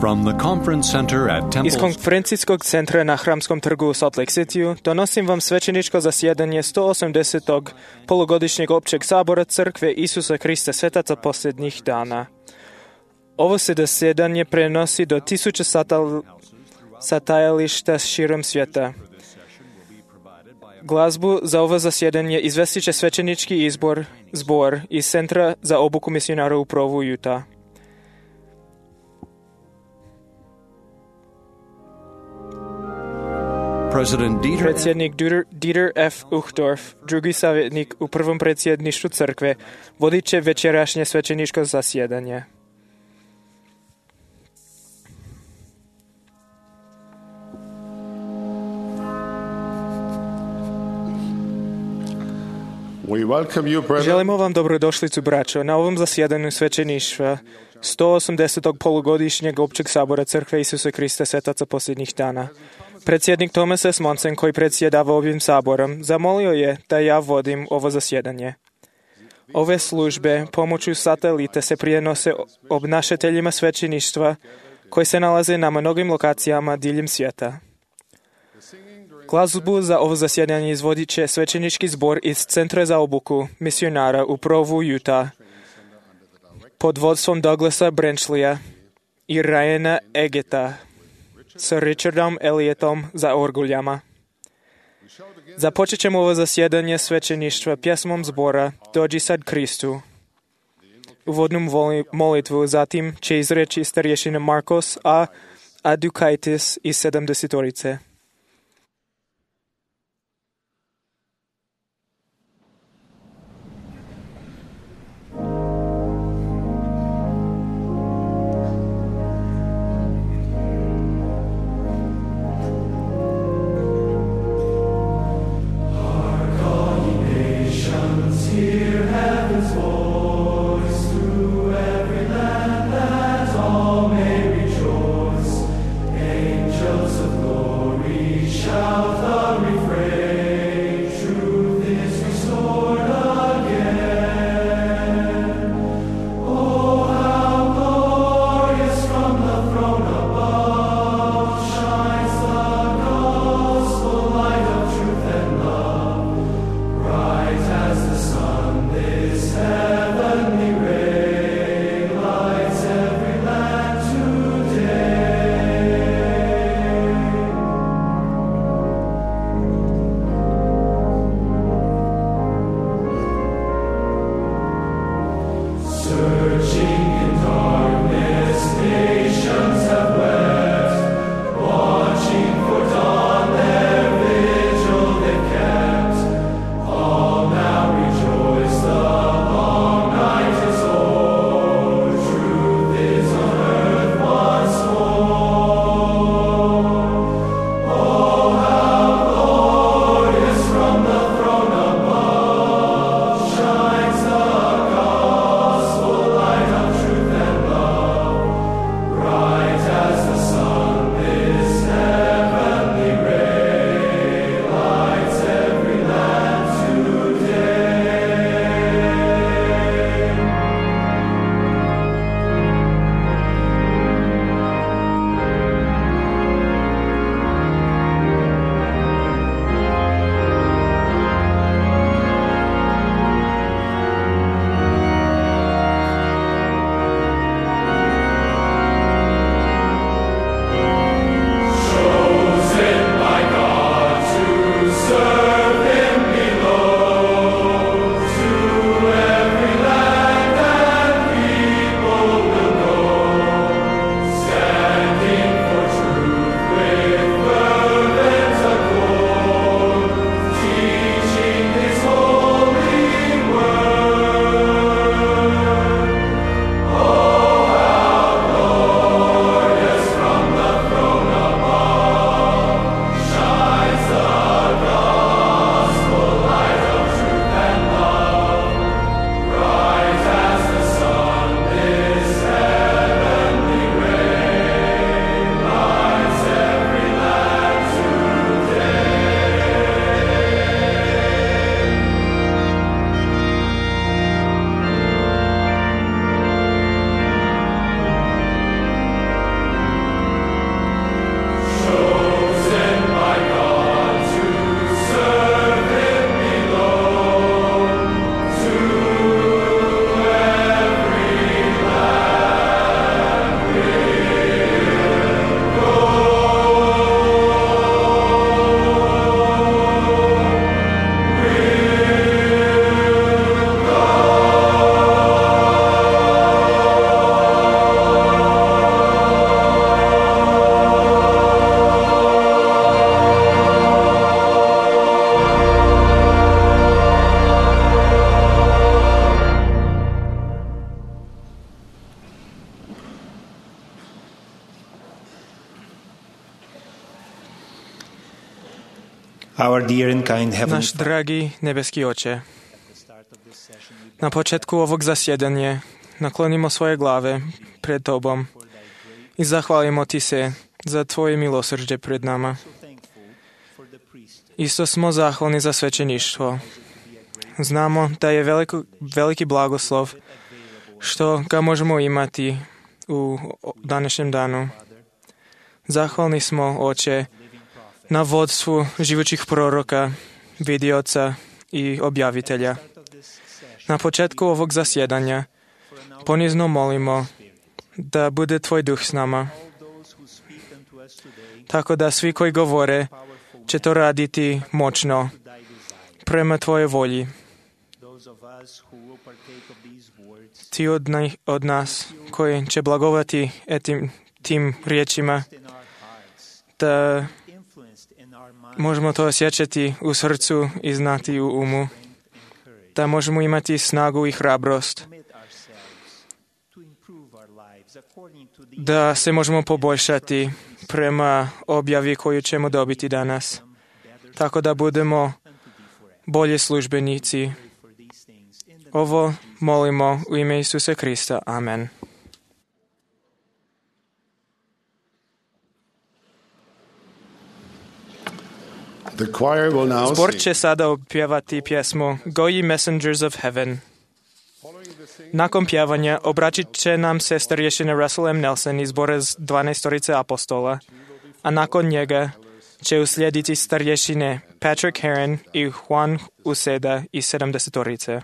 From the conference center at Iz konferencijskog centra na Hramskom trgu u Salt Lake Cityu donosim vam svećeničko zasjedanje 180. polugodišnjeg općeg sabora Crkve Isusa Krista Svetaca posljednjih dana. Ovo se zasjedanje prenosi do 1000 satajališta širom svijeta. Glazbu za ovo zasjedanje izvestit će svećenički zbor iz Centra za obuku misionara u Provu, Utah. Predsjednik Dieter F. Uchtdorf, drugi savjetnik u prvom predsjedništvu crkve, vodit će večerašnje svećeničko zasjedanje. Želimo vam dobrodošlicu, braćo, na ovom zasjedanju svećeništva 180. polugodišnjeg općeg sabora Crkve Isusa Krista Svetaca posljednjih dana. Predsjednik Thomas S. Monson, koji predsjedava ovim saborom, zamolio je da ja vodim ovo zasjedanje. Ove službe pomoću satelita se prijenose obnašateljima svećeništva koji se nalaze na mnogim lokacijama diljem svijeta. Glazbu za ovo zasjedanje izvodit će svećenički zbor iz Centra za obuku misionara u Provu, Utah, pod vodstvom Douglasa Branchleya i Ryana Egeta s Richardom Elliotom za orguljama. Započet ćemo ovo zasjedanje svećeništva pjesmom zbora Dođi sad Kristu. Uvodnu molitvu zatim će izreći starješina Markos A. Adukaitis iz 70-orice. dear and kind Heavenly Náš dragý nebeský Oče, na početku ovog zasjedanja naklonimo svoje glave pred Tobom i zahvalimo Ti se za Tvoje milosrđe pred nama. Isto smo zahvalni za svećeništvo. Znamo da je veliki blagoslov što ga možemo imati u današnjem danu. Zahvalni smo, Oče, na vodstvu živućih proroka, vidioca i objavitelja. Na početku ovog zasjedanja ponizno molimo da bude Tvoj duh s nama, tako da svi koji govore će to raditi moćno prema Tvojoj volji. Ti od nas koji će blagovati tim riječima, da možemo to osjećati u srcu i znati u umu, da možemo imati snagu i hrabrost, da se možemo poboljšati prema objavi koju ćemo dobiti danas, tako da budemo bolji službenici. Ovo molimo u ime Isusa Krista. Amen. Zbor će sada opjevati pjesmu Go Ye Messengers of Heaven. Nakon pjevanja obratit će nam se starješina Russell M. Nelson iz zbora 12 apostola, a nakon njega će uslijediti starješine Patrick Heron i Juan Uceda iz 70.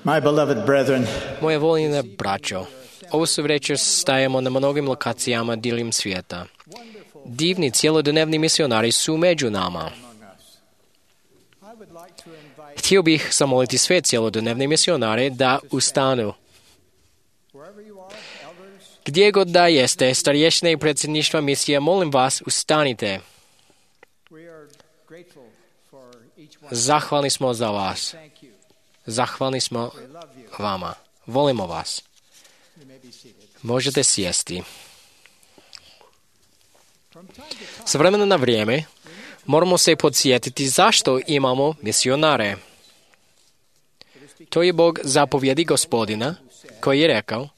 My beloved brethren, Moje voljene braćo, ovu su večer stajemo na mnogim lokacijama diljem svijeta. Divni cjelodnevni misionari su među nama. Htio bih zamoliti sve cjelodnevne misionare da ustanu. Gdje god da jeste, starješine i predsjedništva misije, molim vas, ustanite. Zahvalni smo za vas. Zahvalni smo vama. Volimo vas. Možete sjesti. S vremena na vrijeme moramo se podsjetiti zašto imamo misionare. To je Bog zapovjedi Gospodina koji je rekao: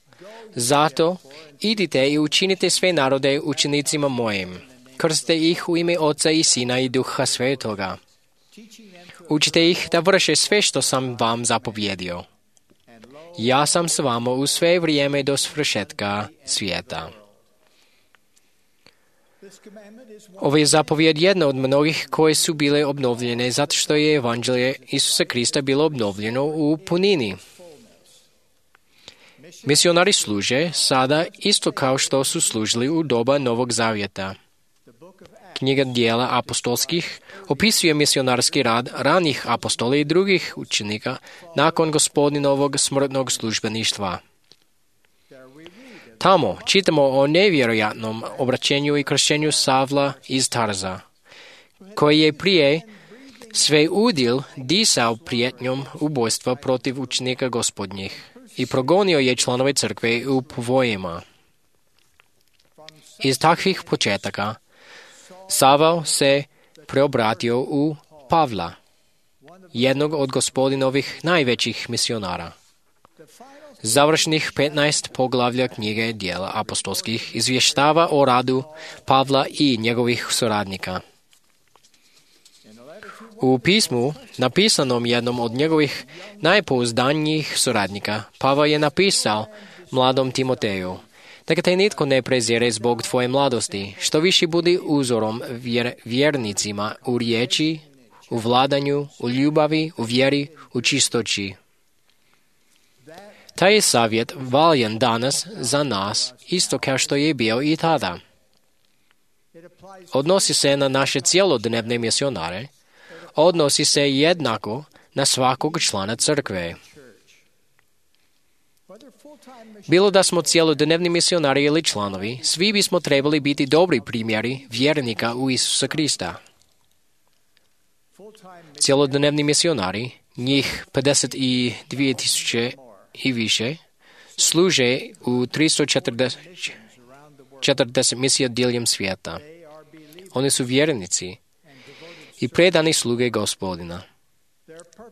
zato idite i učinite sve narode učenicima mojim. Krstite ih u ime Oca i Sina i Duha Svetoga. Učite ih da vrše sve što sam vam zapovjedio. Ja sam s vama u sve vrijeme do svršetka svijeta. Ovo je zapovjed jedna od mnogih koje su bile obnovljene zato što je evanđelje Isusa Krista bilo obnovljeno u punini. Misionari služe sada isto kao što su služili u doba Novog Zavjeta. Knjiga Djela apostolskih opisuje misionarski rad ranih apostola i drugih učenika nakon Gospodinovog smrtnog službeništva. Tamo čitamo o nevjerojatnom obraćenju i kršćenju Savla iz Tarza, koji je prije sve udil disao prijetnjom ubojstva protiv učenika Gospodnjih i progonio je članove crkve u povojima. Iz takvih početaka Saval se preobratio u Pavla, jednog od Gospodinovih najvećih misionara. Završnih 15 poglavlja knjige Djela apostolskih izvještava o radu Pavla i njegovih suradnika. U pismu, napisanom jednom od njegovih najpouzdanijih suradnika, Pavao je napisao mladom Timoteju: neka te nitko ne prezire zbog tvoje mladosti, što više budi uzorom vjernicima u riječi, u vladanju, u ljubavi, u vjeri, u čistoći. Taj je savjet valjan danas za nas, isto kao što je bio i tada. Odnosi se na naše cjelodnevne misionare, odnosi se jednako na svakog člana crkve. Bilo da smo cjelodnevni misionari ili članovi, svi bismo trebali biti dobri primjeri vjernika u Isusa Krista. Cjelodnevni misionari, njih 52,000 i više, služe u 340 misija diljem svijeta. Oni su vjernici i predani sluge Gospodina.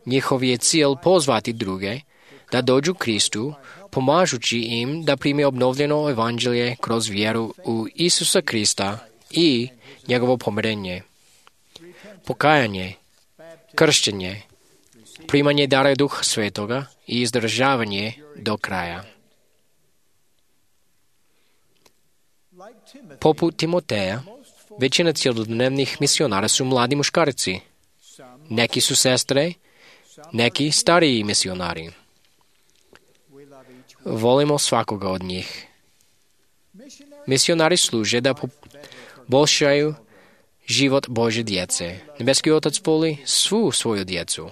Njihov je cilj pozvati druge da dođu Kristu, pomažući im da prime obnovljeno evanđelje kroz vjeru u Isusa Krista i njegovo pomirenje, pokajanje, kršćenje, primanje dara Duha Svetoga i izdržavanje do kraja. Poput Timoteja, većina cjelodnevnih misionara su mladi muškarci. Neki su sestre, neki stariji misionari. Volimo svakoga od njih. Misionari služe da poboljšaju život Božje djece. Nebeski Otac voli svu svoju djecu.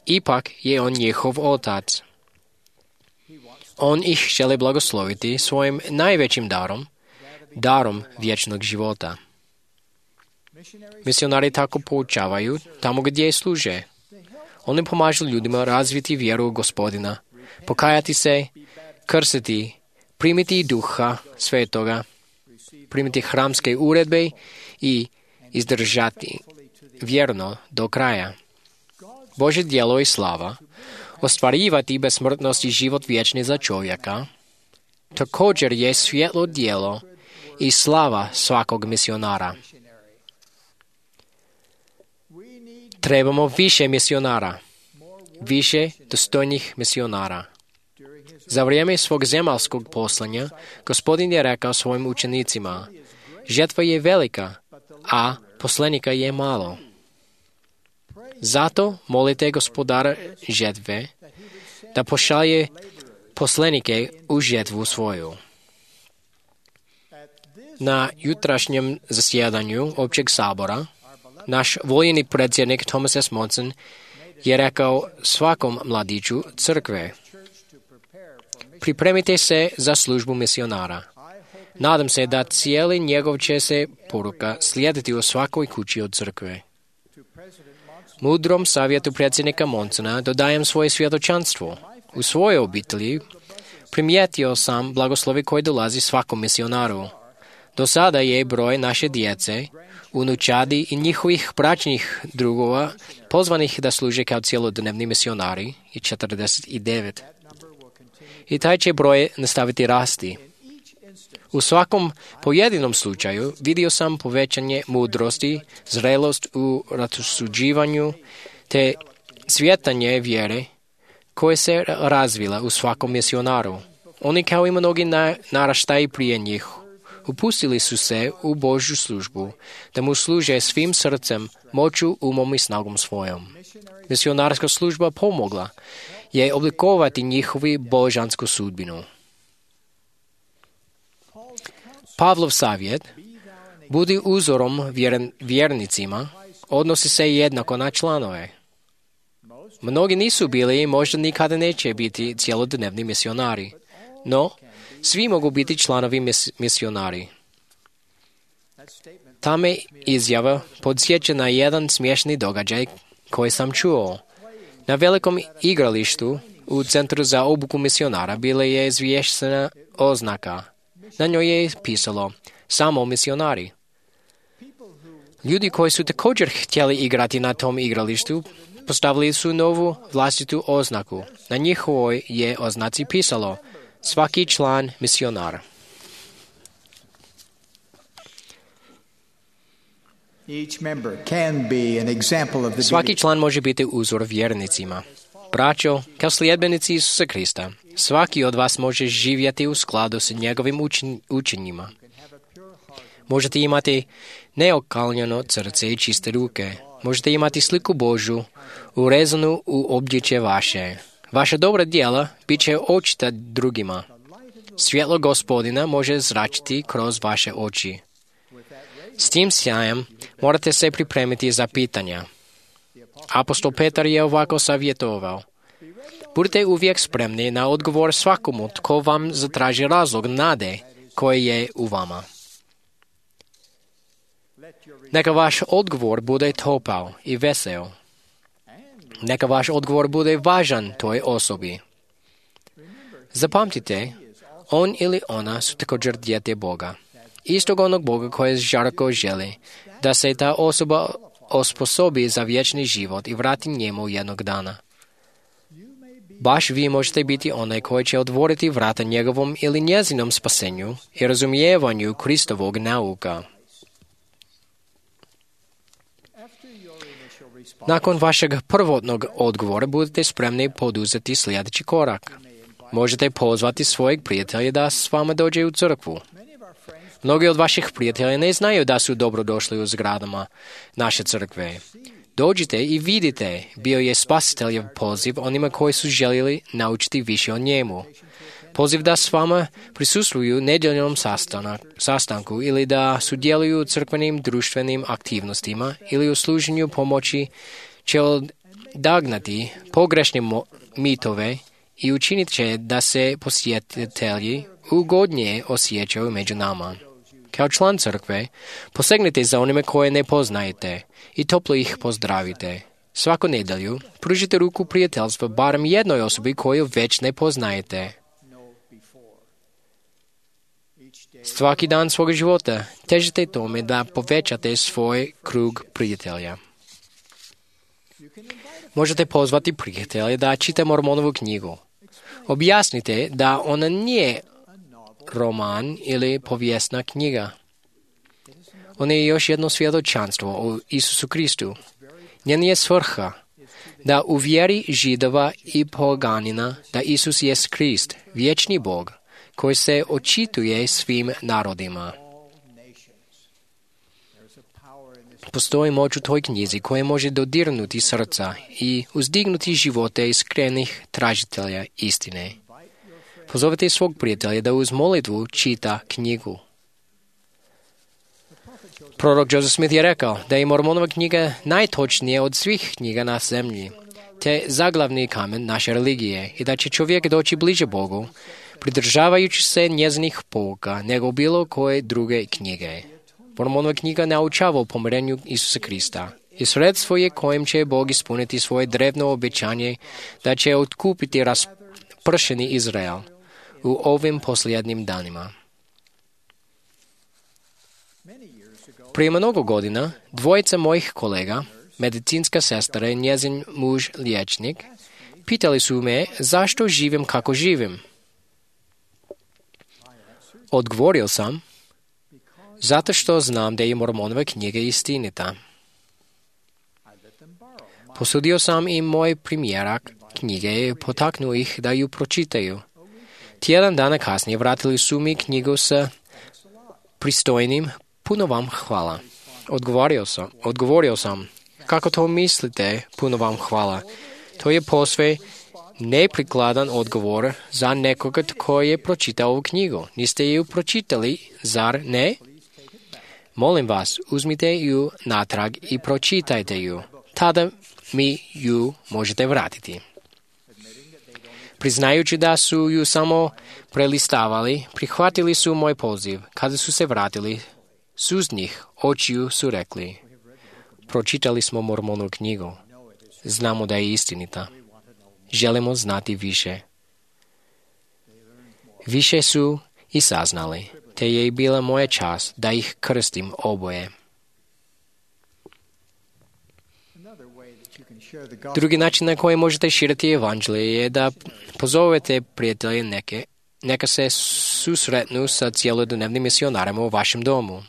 Ipak je On njihov Otac. On ih želi blagosloviti svojim najvećim darom vječnog života. Misionari tako poučavaju tamo gdje služe. Oni pomažu ljudima razviti vjeru u Gospodina, pokajati se, krstiti, primiti Duha Svetoga, primiti hramske uredbe i izdržati vjerno do kraja. Božje djelo i slava, ostvarivati besmrtnost i život vječni za čovjeka, također je svjetlo djelo i slava svakog misionara. Trebamo više misionara, više dostojnih misionara. Za vrijeme svog zemaljskog poslanja, Gospodin je rekao svojim učenicima: žetva je velika, a poslanika je malo. Zato molite Gospodara žetve da pošalje poslanike u žetvu svoju. Na jutrašnjem zasjedanju općeg sabora naš voljeni predsjednik Thomas S. Monson je rekao svakom mladiću crkve: pripremite se za službu misionara. Nadam se da cijeli njegov će se poruka slijediti u svakoj kući od crkve. Mudrom savjetu predsjednika Monsona dodajem svoje svjedočanstvo. U svojoj obitelji primijetio sam blagoslovi koji dolazi svakom misionaru. Do sada je broj naše djece, unučadi i njihovih bračnih drugova pozvanih da služe kao cjelodnevni misionari i 49. I taj će broj nastaviti rasti. U svakom pojedinom slučaju vidio sam povećanje mudrosti, zrelost u rasuđivanju te cvjetanje vjere koje se razvila u svakom misionaru. Oni kao i mnogi naraštaji prije njih upustili su se u Božju službu, da mu služe svim srcem, moću, umom i snagom svojom. Misionarska služba pomogla je oblikovati njihovu božansku sudbinu. Pavlov savjet, budi uzorom vjernicima, odnosi se jednako na članove. Mnogi nisu bili i možda nikada neće biti cjelodnevni misionari, no svi mogu biti članovi misionari. Ta me izjava podsjeća na jedan smiješni događaj koji sam čuo. Na velikom igralištu u Centru za obuku misionara bila je izvješena oznaka. Na njoj je pisalo samo misionari. Ljudi koji su također htjeli igrati na tom igralištu postavili su novu vlastitu oznaku. Na njihovoj je oznaci pisalo svaki član misionar. Svaki član može biti uzor vjernicima. Braćo, kao sljedbenici Isusa Krista, svaki od vas može živjeti u skladu s njegovim učenjima. Možete imati neokaljeno srce i čiste ruke. Možete imati sliku Božju urezanu u obličje vaše. Vaša dobra djela bit će očita drugima. Svjetlo Gospodina može zračiti kroz vaše oči. S tim sjajem morate se pripremiti za pitanja. Apostol Petar je ovako savjetovao. Budite uvijek spremni na odgovor svakomu tko vam zatraži razlog nade koji je u vama. Neka vaš odgovor bude topao i vesel. Neka vaš odgovor bude važan toj osobi. Zapamtite, on ili ona su također dijete Boga. Istog onog Boga koji žarko želi da se ta osoba osposobi za vječni život i vrati njemu jednog dana. Baš vi možete biti onaj koji će otvoriti vrata njegovom ili njezinom spasenju i razumijevanju Kristovog nauka. Nakon vašeg prvotnog odgovora budete spremni poduzeti sljedeći korak. Možete pozvati svojeg prijatelja da s vama dođe u crkvu. Mnogi od vaših prijatelja ne znaju da su dobrodošli u zgradama naše crkve. Dođite i vidite, bio je Spasiteljev poziv onima koji su željeli naučiti više o njemu. Poziv da s vama prisustvuju nedjeljnom sastanku ili da sudjeluju u crkvenim društvenim aktivnostima ili u služenju pomoći će odagnati pogrešne mitove i učinit će da se posjetitelji ugodnije osjećaju među nama. Kao član crkve, posegnite za onime koje ne poznajete i toplo ih pozdravite. Svaku nedjelju pružite ruku prijateljstva barem jednoj osobi koju već ne poznajete. Svaki dan svog života težite tome da povećate svoj krug prijatelja. Možete pozvati prijatelja da čita Mormonovu knjigu. Objasnite da ona nije roman ili povijesna knjiga. Ona je još jedno svjedočanstvo o Isusu Kristu. Njen je svrha da uvjeri Židova i poganina da Isus je Krist, vječni Bog, koji se očituje svim narodima. Postoji moć u toj knjizi koja može dodirnuti srca i uzdignuti živote iskrenih tražitelja istine. Pozovite svog prijatelja da uz molitvu čita knjigu. Prorok Joseph Smith je rekao da je Mormonova knjiga najtočnija od svih knjiga na zemlji, te zaglavni kamen naše religije i da će čovjek doći bliže Bogu, pridržavajući se njezinih pouka nego bilo koje druge knjige. Mormonova knjiga naučava o pomirenju Isusa Krista i sredstvo je kojim će Bog ispuniti svoje drevno obećanje da će otkupiti raspršeni Izrael u ovim posljednjim danima. Prije mnogo godina, dvojica mojih kolega, medicinska sestra i njezin muž liječnik, pitali su me zašto živim kako živim. Odgovorio sam, zato što znam da je Mormonova knjiga istinita. Posudio sam im moj primjerak knjige i potaknuo ih da ju pročitaju. Tjedan dana kasnije vratili su mi knjigu sa pristojnim puno vam hvala. Odgovorio sam, kako to mislite, puno vam hvala. To je posve neprikladan odgovor za nekoga tko je pročitao ovu knjigu. Niste ju pročitali, zar ne? Molim vas, uzmite ju natrag i pročitajte ju. Tada mi ju možete vratiti. Priznajući da su ju samo prelistavali, prihvatili su moj poziv. Kada su se vratili, suznih očiju su rekli, pročitali smo Mormonovu knjigu. Znamo da je istinita. Želimo znati više. Više su i saznali, te je bila moja čast da ih krstim oboje. Drugi način na koji možete širiti evanđelje je da pozovete prijatelje neka se susretnu sa cjelodnevnim misionarima u vašem domu.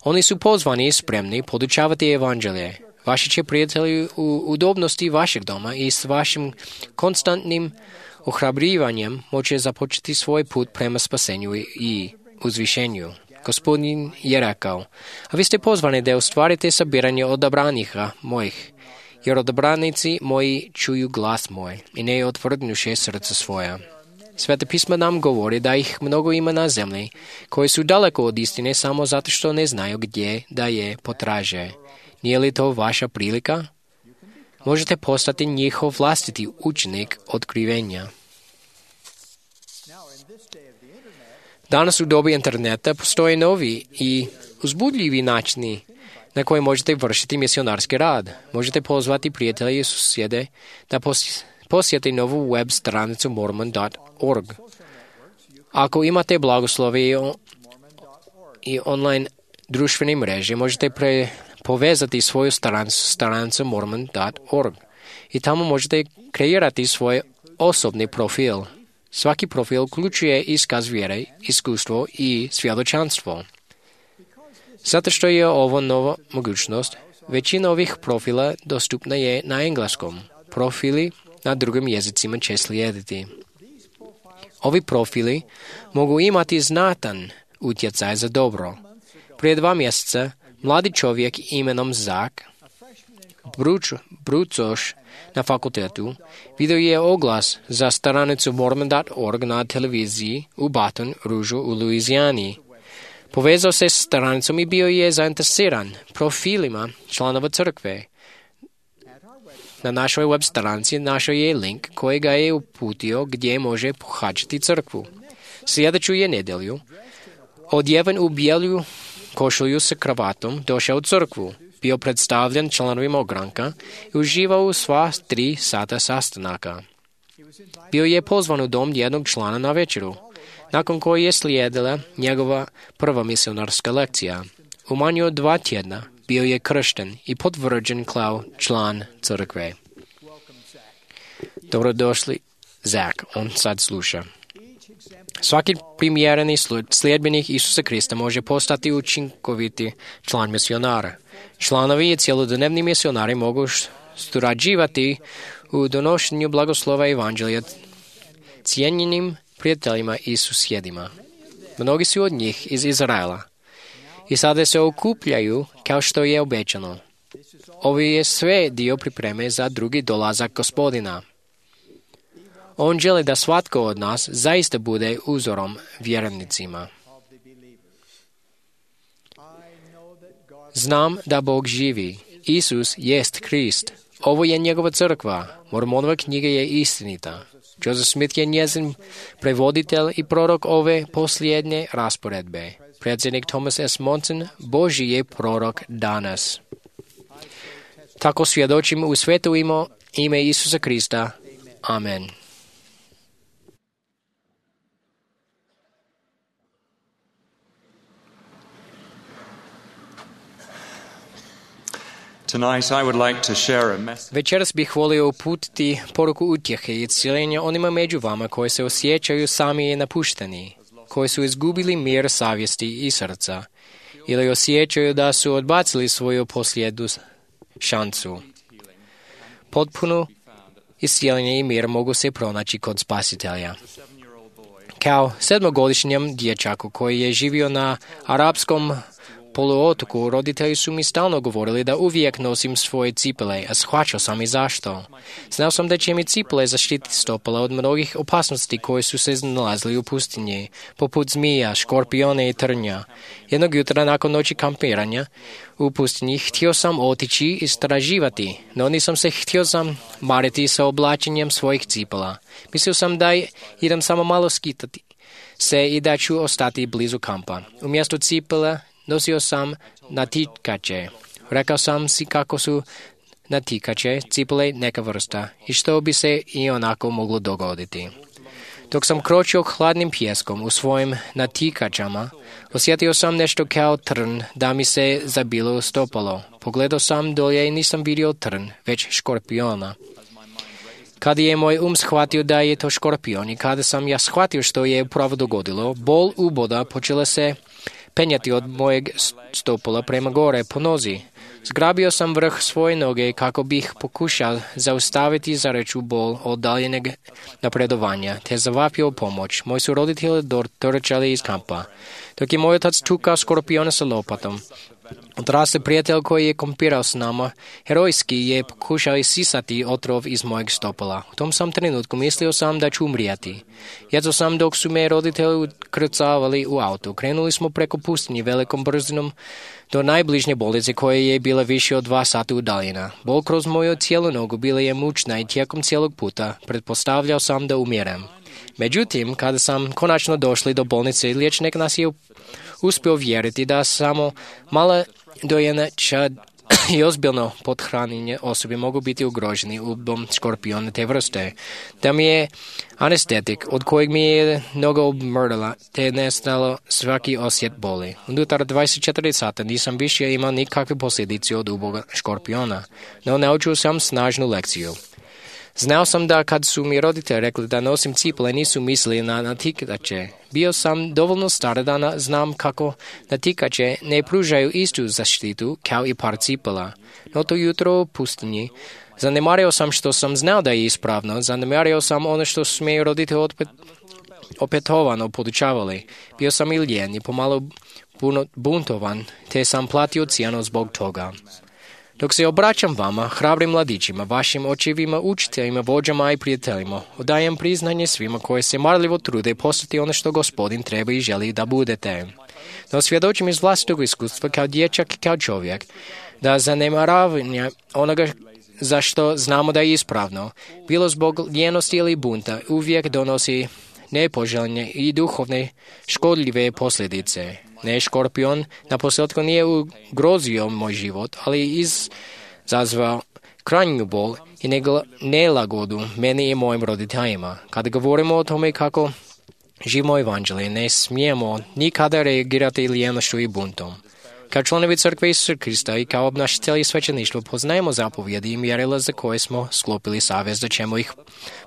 Oni su pozvani i spremni podučavati evanđelje. Vaši će prijatelji u udobnosti vašeg doma i s vašim konstantnim ohrabrivanjem moće započeti svoj put prema spasenju i uzvišenju. Gospodin je rekao, a vi ste pozvani da ostvarite sabiranje odabranika mojih, jer odabranici moji čuju glas moj i ne otvrdnuše srca svoja. Sveta pisma nam govori da ih mnogo ima na zemlji, koji su daleko od istine samo zato što ne znaju gdje da je potraže. Nije li to vaša prilika? Možete postati njihov vlastiti učenik otkrivenja. Danas u dobi interneta postoje novi i uzbudljivi načini na koje možete vršiti misionarski rad. Možete pozvati prijatelje i susjede da posjete novu web stranicu mormon.org. Ako imate blagoslove i online društvene mreže, možete povezati svoju stranicu mormon.org i tamo možete kreirati svoj osobni profil. Svaki profil uključuje iskaz vjere, iskustvo i svjedočanstvo. Zato što je ovo nova mogućnost, većina ovih profila dostupna je na engleskom. Profili na drugim jezicima će slijediti. Ovi profili mogu imati znatan utjecaj za dobro. Prije 2 mjeseca mladi čovjek imenom Zak, brucoš na fakultetu, vidio je oglas za stranicu mormon.org na televiziji u Baton Rouge u Luizijani. Povezao se s stranicom i bio je zainteresiran profilima članova crkve. Na našoj web stranici našao je link koji ga je uputio gdje može pohađati crkvu. Sljedeću je nedjelju, odjeven u bijelu košulju sa kravatom, došao u crkvu, bio predstavljen članovima ogranka i uživao u sva 3 sata sastanaka. Bio je pozvan u dom jednog člana na večeru, nakon koje je slijedila njegova prva misionarska lekcija. U manje od 2 tjedna bio je kršten i potvrđen kao član crkve. Dobrodošli, Zak, on sad sluša. Svaki primjereni sljedbenik Isusa Krista može postati učinkoviti član misionara. Članovi i cjelodnevni misionari mogu surađivati u donošenju blagoslova evanđelja cijenjenim prijateljima i susjedima. Mnogi su od njih iz Izraela i sada se okupljaju kao što je obećano. Ovo je sve dio pripreme za drugi dolazak Gospodina. On želi da svatko od nas zaista bude uzorom vjernicima. Znam da Bog živi. Isus jest Krist. Ovo je njegova crkva. Mormonova knjiga je istinita. Joseph Smith je njezin prevoditelj i prorok ove posljednje rasporedbe. Predsjednik Thomas S. Monson, Božji je prorok danas. Tako svjedočim u sveto ime Isusa Krista. Amen. Tonight I would like to share a message. Večeras bih volio uputiti poruku utjehe i cijeljenja onima među vama koji se osjećaju sami i napušteni. koji su izgubili mir savjesti i srca ili osjećaju da su odbacili svoju posljednju šansu. Potpuno iscijeljenje i mir mogu se pronaći kod Spasitelja. Kao 7-godišnjem dječaku koji je živio na arapskom poluotoku, roditelji su mi stalno govorili da uvijek nosim svoje cipele, a shvaćao sam i zašto. Znao sam da će mi cipele zaštiti stopala od mnogih opasnosti koje su se nalazili u pustinji, poput zmija, škorpione i trnja. Jednog jutra nakon noći kampiranja u pustinji htio sam otići i istraživati, no nisam se htio zamariti sa oblačenjem svojih cipela. Mislio sam da idem samo malo skitati se i da ću ostati blizu kampa. Umjesto cipela nosio sam natikače. Rekao sam si kako su natikače, cipele neka vrsta i što bi se i onako moglo dogoditi. Dok sam kročio hladnim pijeskom u svojim natikačama, osjetio sam nešto kao trn da mi se zabilo u stopalo. Pogledao sam dolje i nisam vidio trn, već škorpiona. Kada je moj shvatio da je to škorpion i kada sam ja shvatio što je upravo dogodilo, bol uboda počela se penjati od mojeg stopala prema gore po nozi. Zgrabio sam vrh svoje noge kako bih pokušao zaustaviti zareću bol od daljeneg napredovanja, te zavapio pomoć. Moji su roditelji dotrčali iz kampa. Dok je moj otac tukao škorpiona sa lopatom, odrasli prijatelj koji je kampirao s nama, herojski je pokušao isisati otrov iz mojeg stopala. U tom sam trenutku mislio sam da ću umrijeti. Jedzao sam dok su me roditelji ukrcavali u auto. Krenuli smo preko pustinje velikom brzinom do najbližnje bolnice koja je bila više od 2 sata udaljena. Bol kroz moju cijelu nogu bila je mučna i tijekom cijelog puta pretpostavljao sam da umirem. Međutim, kada sam konačno došli do bolnice, liječnik nas je uspio vjeriti da samo mala dojenača i ozbiljno pothranjene osobe mogu biti ugroženi ubom škorpiona te vrste. Da mi je anestetik od kojeg mi je noga obmrdala te nestalo svaki osjet boli. Unutar 24 sata nisam više imao nikakve posljedice od uboga škorpiona, no naučio sam snažnu lekciju. Znao sam da kad su mi roditelji rekli da nosim cipele nisu mislili na natikače. Bio sam dovoljno star da znam kako natikače ne pružaju istu zaštitu kao i par cipela. No to jutro u pustinji zanemario sam što sam znao da je ispravno, zanemario sam ono što su mi roditelji opetovano podučavali. Bio sam i lijen i pomalo buntovan, te sam platio cijenu zbog toga. Dok se obraćam vama, hrabrim mladićima, vašim očevima, učiteljima, vođama i prijateljima, odajem priznanje svima koji se marljivo trude postati ono što Gospodin treba i želi da budete. No svjedočim iz vlastitog iskustva kao dječak i kao čovjek, da zanemaravanje onoga za što znamo da je ispravno, bilo zbog ljenosti ili bunta, uvijek donosi nepoželjne i duhovne škodljive posljedice. Ne, škorpion na posljedku nije ugrozio moj život, ali izazvao krajnju bol i nelagodu meni i mojim roditeljima. Kada govorimo o tome kako živimo evanđelje, ne smijemo nikada reagirati lijenošću i buntom. Kao članovi crkve Isusa Krista i kao obnašatelji svećeništva poznajemo zapovjedi i mjerila za koje smo sklopili savez da ćemo ih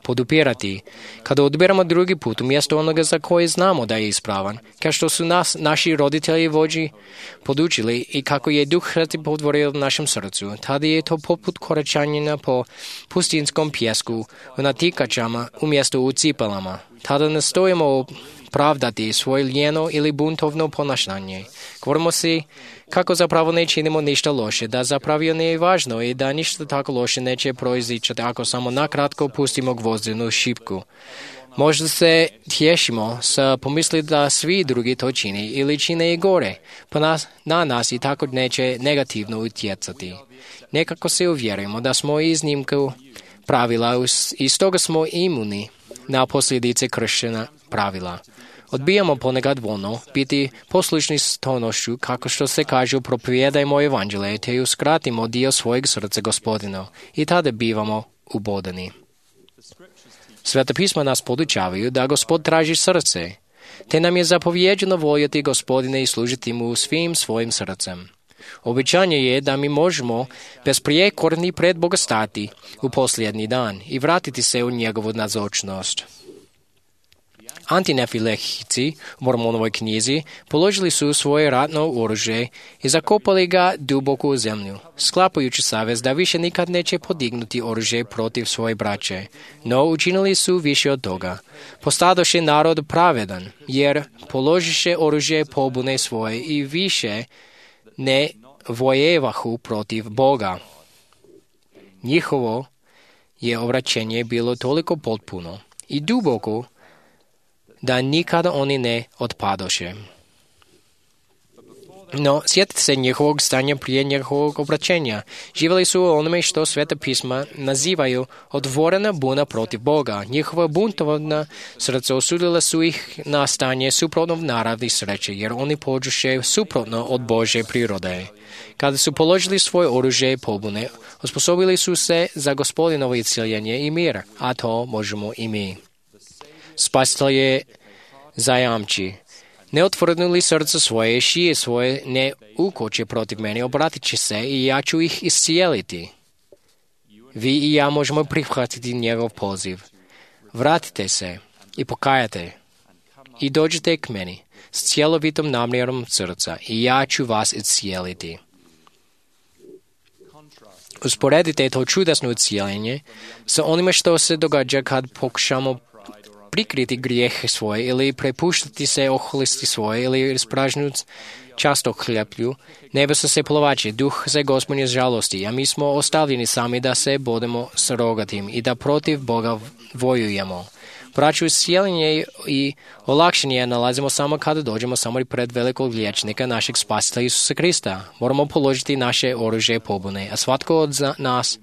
podupirati. Kada odbiramo drugi put umjesto onoga za koje znamo da je ispravan, kao što su nas naši roditelji vođi podučili i kako je Duh Sveti podvorio u našem srcu, tada je to poput koračanja po pustinskom pjesku u natikačama umjesto u cipelama. Tada nastojimo pravdati svoje lijeno ili buntovno ponašanje. Govorimo si kako zapravo ne činimo ništa loše, da zapravo nije važno i da ništa tako loše neće proizići ako samo nakratko pustimo gvozdenu šipku. Možda se tješimo sa pomisli da svi drugi to čini ili čine i gore, pa na nas i tako neće negativno utjecati. Nekako se uvjerujemo da smo iznimku pravila i stoga smo imuni na posljedice kršćana pravila. Odbijamo ponekad voljno biti poslušni stonošću, kako što se kaže, propovijedajmo evanđelje, te uskratimo dio svojeg srca Gospodinu i tada bivamo ubodani. Sveta pisma nas podučavaju da Gospod traži srce, te nam je zapovjeđeno voljeti Gospodine i služiti mu svim svojim srcem. Obećanje je da mi možemo besprijekorni pred Boga stati u posljednji dan i vratiti se u njegovu nazočnost. Антинефилехици u Mormonovoj knjizi položili su svoje ratno oružje i zakopali ga duboko u zemlju, sklapajući savez da više nikad neće podignuti oružje protiv svoje braće. No učinili su više od toga. Postadoše narod pravedan, jer položiše oružje pobune svoje i više ne vojevahu protiv Boga. Njihovo je obraćenje bilo toliko potpuno i duboko da nikada oni ne otpadoše. No, sjetite se njihovog stanja prije njihovog obraćenja. Živjeli su u onome što Sveta pisma nazivaju otvorena buna protiv Boga. Njihova buntovna srca osudila su ih na stanje suprotno naravi sreće, jer oni pođuše suprotno od Božje prirode. Kada su položili svoje oružje pobune, osposobili su se za Gospodinovo isceljenje i mir, a to možemo i mi. Spasitelj je zajamči. Ne otvornuli srce svoje, šije svoje ne ukoče protiv mene, obratit će se i ja ću ih iscijeliti. Vi i ja možemo prihvatiti njegov poziv. Vratite se i pokajate i dođite k meni s cjelovitom namjerom srca i ja ću vas iscijeliti. Usporedite to čudesno iscijeljenje sa onime što se događa kad pokušamo prikriti grijehe svoje ili prepuštati se oholisti svoje ili ispražnut často hljeplju, nebo se plovači, duh se Gospodnje žalosti, a mi smo ostavljeni sami da se bodemo s rogatim i da protiv Boga vojujemo. Braću, iscijeljenje i olakšenje nalazimo samo kada dođemo samo pred velikog liječnika, našeg spasitelja Isusa Krista. Moramo položiti naše oružje pobune, a svatko od nas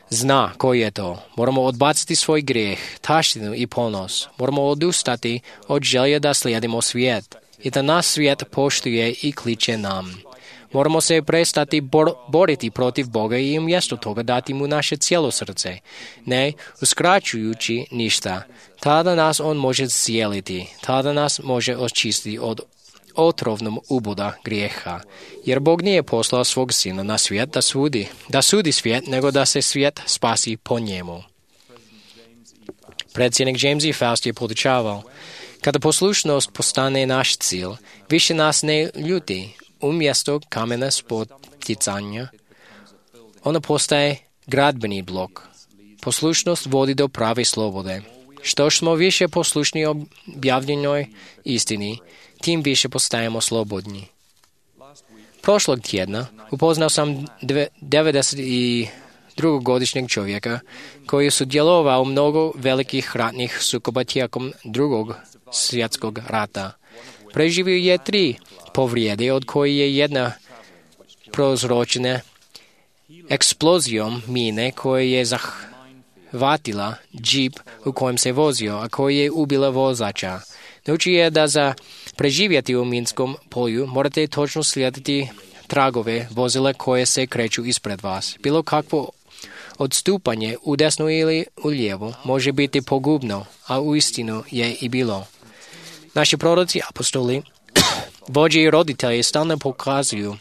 zna koji je to. Moramo odbaciti svoj grijeh, taštinu i ponos. Moramo odustati od želje da slijedimo svijet i da nas svijet poštuje i kliče nam. Moramo se prestati boriti protiv Boga i umjesto toga dati mu naše cijelo srce, ne uskraćujući ništa. Tada nas on može cijeliti, tada nas može očistiti od otrovnom uboda grijeha, jer Bog nije poslao svog sina na svijet da sudi svijet, nego da se svijet spasi po njemu. Predsjednik James E. Faust je podučavao, kada poslušnost postane naš cilj, više nas ne ljuti. Umjesto kamena spoticanja, ona postaje gradbeni blok. Poslušnost vodi do prave slobode. Što smo više poslušni objavljenoj istini, tim više postajemo slobodni. Prošlog tjedna upoznao sam 92-godišnjeg čovjeka koji je sudjelovao u mnogo velikih ratnih sukoba tijekom Drugog svjetskog rata. Preživio je 3 povrijede, od koje je jedna prouzročena eksplozijom mine koja je zahvatila džip u kojem se vozio, a koja je ubila vozača. Naučio je da za preživjeti u minskom polju morate točno slijediti tragove vozila koje se kreću ispred vas. Bilo kakvo odstupanje u desnu ili u lijevu može biti pogubno, a uistinu je i bilo. Naši proroci, apostoli, vođe i roditelji stalno pokazuju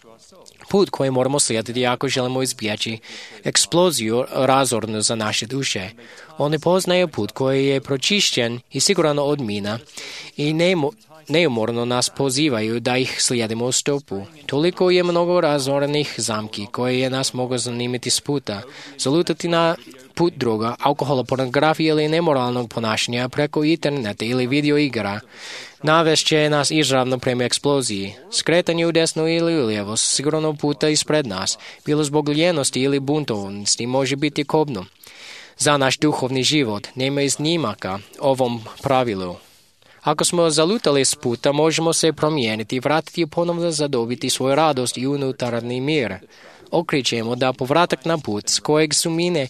put koji moramo slijediti ako želimo izbjeći eksploziju razornu za naše duše. Oni poznaju put koji je pročišćen i siguran od mina i neumorno nas pozivaju da ih slijedimo u stopu. Toliko je mnogo razorenih zamki koje je nas mogu zanimati s puta, zalutati na put droga, alkohola, pornografije ili nemoralnog ponašanja preko interneta ili video igara. Navest će nas izravno prema eksploziji. Skretanje u desnu ili u lijevo sigurno puta ispred nas, bilo zbog ljenosti ili buntovnosti, može biti kobno. Za naš duhovni život nema iznimaka ovom pravilu. Ako smo zalutali s puta, možemo se promijeniti i vratiti i ponovno zadobiti svoju radost i unutarnji mir. Okričemo da povratak na put s kojeg su mine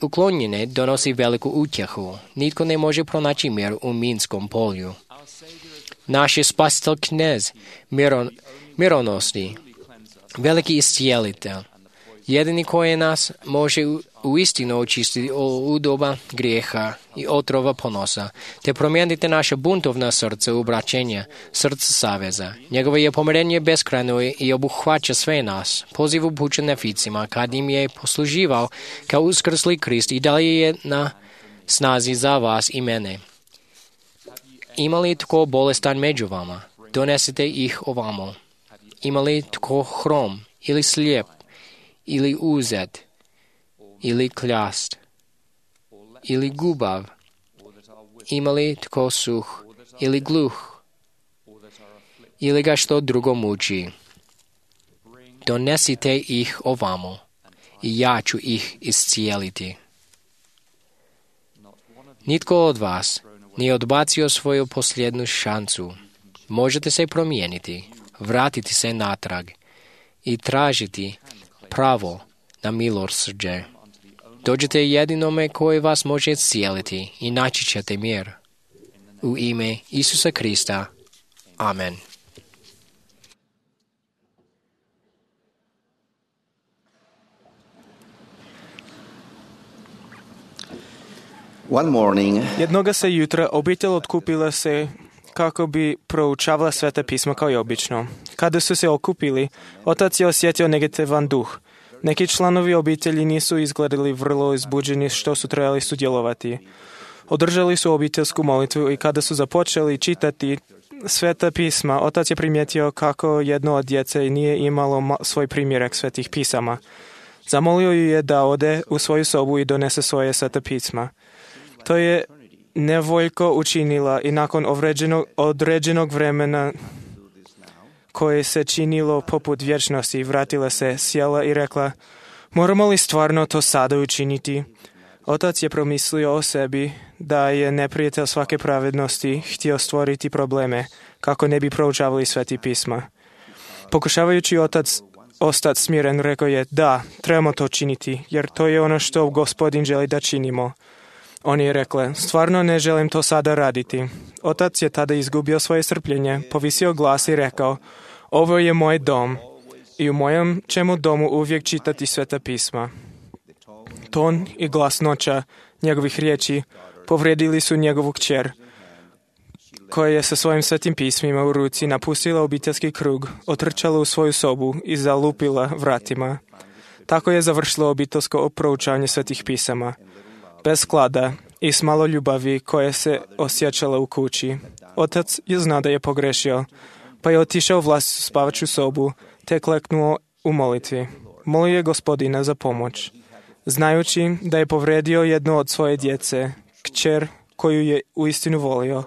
uklonjene donosi veliku utjehu. Nitko ne može pronaći mir u minskom polju. Naš je spasitelj knez, mironosni, veliki iscijelitelj, jedini koji nas može uistinu očistiti od udoba grijeha i otrova ponosa, te promijeniti naše buntovna srce u obraćenje, srce saveza. Njegovo je pomirenje beskrajno i obuhvaća sve nas. Poziv upućen neficima, kad im je posluživao kao uskrsli Krist i dalje je na snazi za vas i mene. Ima li tko bolestan među vama? Donesite ih ovamo. Ima li tko hrom, ili slijep, ili uzet, ili kljast, ili gubav? Ima li tko suh, ili gluh, ili ga što drugo muči? Donesite ih ovamo, i ja ću ih iscijeliti. Nitko od vas nije odbacio svoju posljednju šansu. Možete se promijeniti, vratiti se natrag i tražiti pravo na milosrđe. Dođite jedinome koji vas može iscijeliti i naći ćete mir. U ime Isusa Krista. Amen. One morning, Jednoga se jutra obitelj otkupila se kako bi proučavala Sveta pisma kao i obično. Kada su se okupili, otac je osjetio negativan duh. Neki članovi obitelji nisu izgledali vrlo izbuđeni što su trebali sudjelovati. Održali su obiteljsku molitvu i kada su započeli čitati Sveta pisma, otac je primijetio kako jedno od djece nije imalo svoj primjerak Svetih pisama. Zamolio ju je da ode u svoju sobu i donese svoje Sveta pisma. To je nevoljko učinila i nakon određenog vremena koje se činilo poput vječnosti, vratila se, sjela i rekla: moramo li stvarno to sada učiniti? Otac je promislio o sebi da je neprijatelj svake pravednosti htio stvoriti probleme kako ne bi proučavali Sveti pisma. Pokušavajući ostati smiren, rekao je: da, trebamo to činiti, jer to je ono što Gospodin želi da činimo. On je rekla: stvarno ne želim to sada raditi. Otac je tada izgubio svoje strpljenje, povisio glas i rekao: ovo je moj dom i u mojem ćemo domu uvijek čitati Sveta pisma. Ton i glasnoća njegovih riječi povrijedili su njegovu kćer, koja je sa svojim Svetim pismima u ruci napustila obiteljski krug, otrčala u svoju sobu i zalupila vratima. Tako je završilo obiteljsko proučavanje Svetih pisama. Bez sklada i s malo ljubavi koje se osjećala u kući. Otac je znao da je pogrešio, pa je otišao u vlastitu spavaču sobu te kleknuo u molitvi. Molio je Gospodina za pomoć, znajući da je povrijedio jedno od svoje djece, kćer koju je uistinu volio.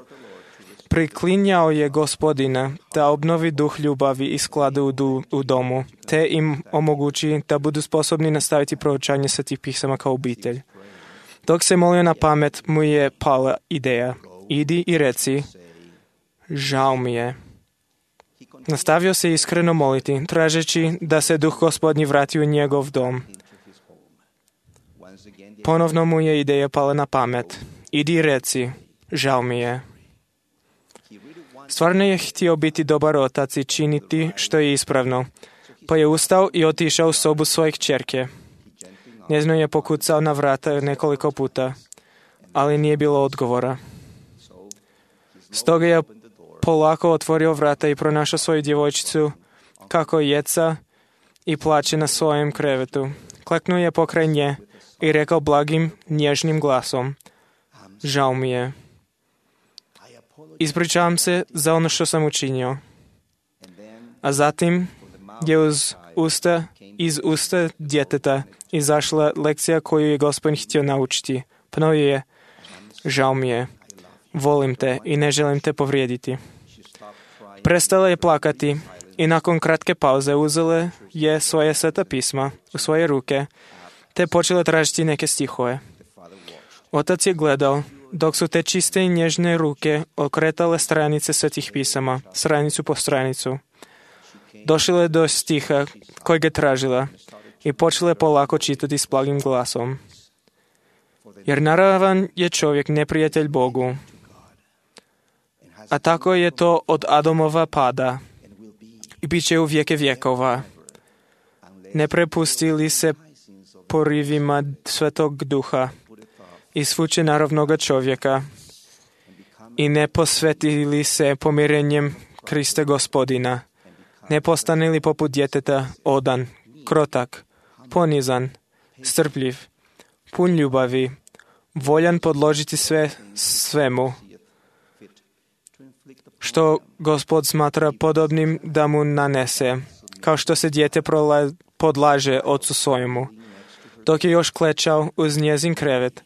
Priklinjao je Gospodina da obnovi duh ljubavi i sklada u domu, te im omogući da budu sposobni nastaviti proučavanje Svetih pisama kao obitelj. Dok se molio na pamet, mu je pala ideja: idi i reci, žao mi je. Nastavio se iskreno moliti, tražeći da se duh Gospodnji vrati u njegov dom. Ponovno mu je ideja pala na pamet: idi i reci, žao mi je. Stvarno je htio biti dobar otac i činiti što je ispravno, pa je ustao i otišao u sobu svoje kćerke. Njezino je pokucao na vrata nekoliko puta, ali nije bilo odgovora. Stoga je polako otvorio vrata i pronašao svoju djevojčicu kako jeca i plače na svojem krevetu. Kleknuo je pokraj nje i rekao blagim, nježnim glasom: žao mi je. Ispričavam se za ono što sam učinio. A zatim je iz usta djeteta izašla lekcija koju je Gospodin htio naučiti. Ponovio je: žao mi je, volim te i ne želim te povrijediti. Prestala je plakati i nakon kratke pauze uzela je svoje Sveta pisma u svoje ruke te počela tražiti neke stihove. Otac je gledao dok su te čiste i nježne ruke okretale stranice Svetih pisama, stranicu po stranicu. Došla je do stiha kojeg je tražila i počela je polako čitati s blagim glasom. Jer naravan je čovjek neprijatelj Bogu, a tako je to od Adamova pada i bit će u vijeke vjekova. Ne prepustili se porivima Svetog Duha i svuče naravnoga čovjeka i ne posvetili se pomirenjem Krista Gospodina. Ne postanili poput djeteta odan, krotak, ponizan, strpljiv, pun ljubavi, voljan podložiti sve svemu, što Gospod smatra podobnim da mu nanese, kao što se dijete podlaže ocu svojemu. Dok je još klečao uz njezin krevet,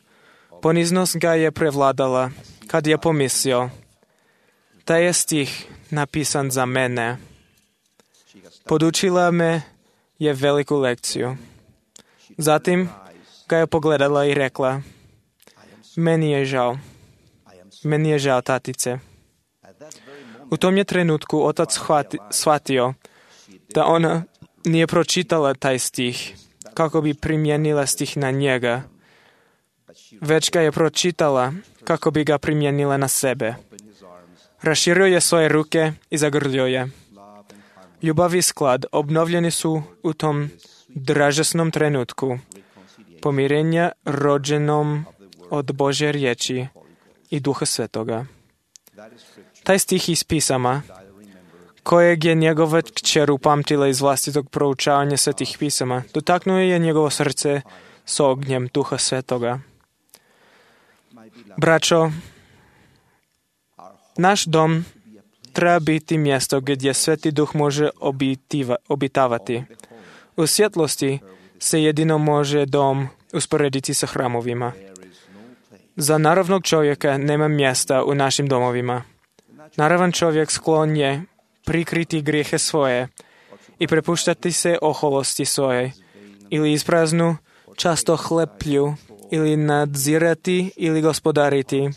poniznost ga je prevladala, kad je pomislio, taj je stih napisan za mene. Podučila me je veliku lekciju. Zatim ga je pogledala i rekla, meni je žao, tatice. U tom je trenutku otac shvatio da ona nije pročitala taj stih kako bi primijenila stih na njega, već ga je pročitala kako bi ga primijenila na sebe. Raširio je svoje ruke i zagrlio je. Ljubav i sklad obnovljeni su u tom dražesnom trenutku pomirenja rođenom od Božje riječi i Duha Svetoga. Taj stih iz pisama, kojeg je njegova kćer upamtila iz vlastitog proučavanja svetih pisama, dotaknuo je njegovo srce s ognjem Duha Svetoga. Braćo, naš dom treba biti mjesto gdje Sveti Duh može obitavati. U svjetlosti se jedino može dom usporediti sa hramovima. Za naravnog čovjeka nema mjesta u našim domovima. Naravan čovjek sklon je prikriti grijehe svoje i prepuštati se oholosti svoje, ili ispraznu, často hleplju, ili nadzirati ili gospodariti,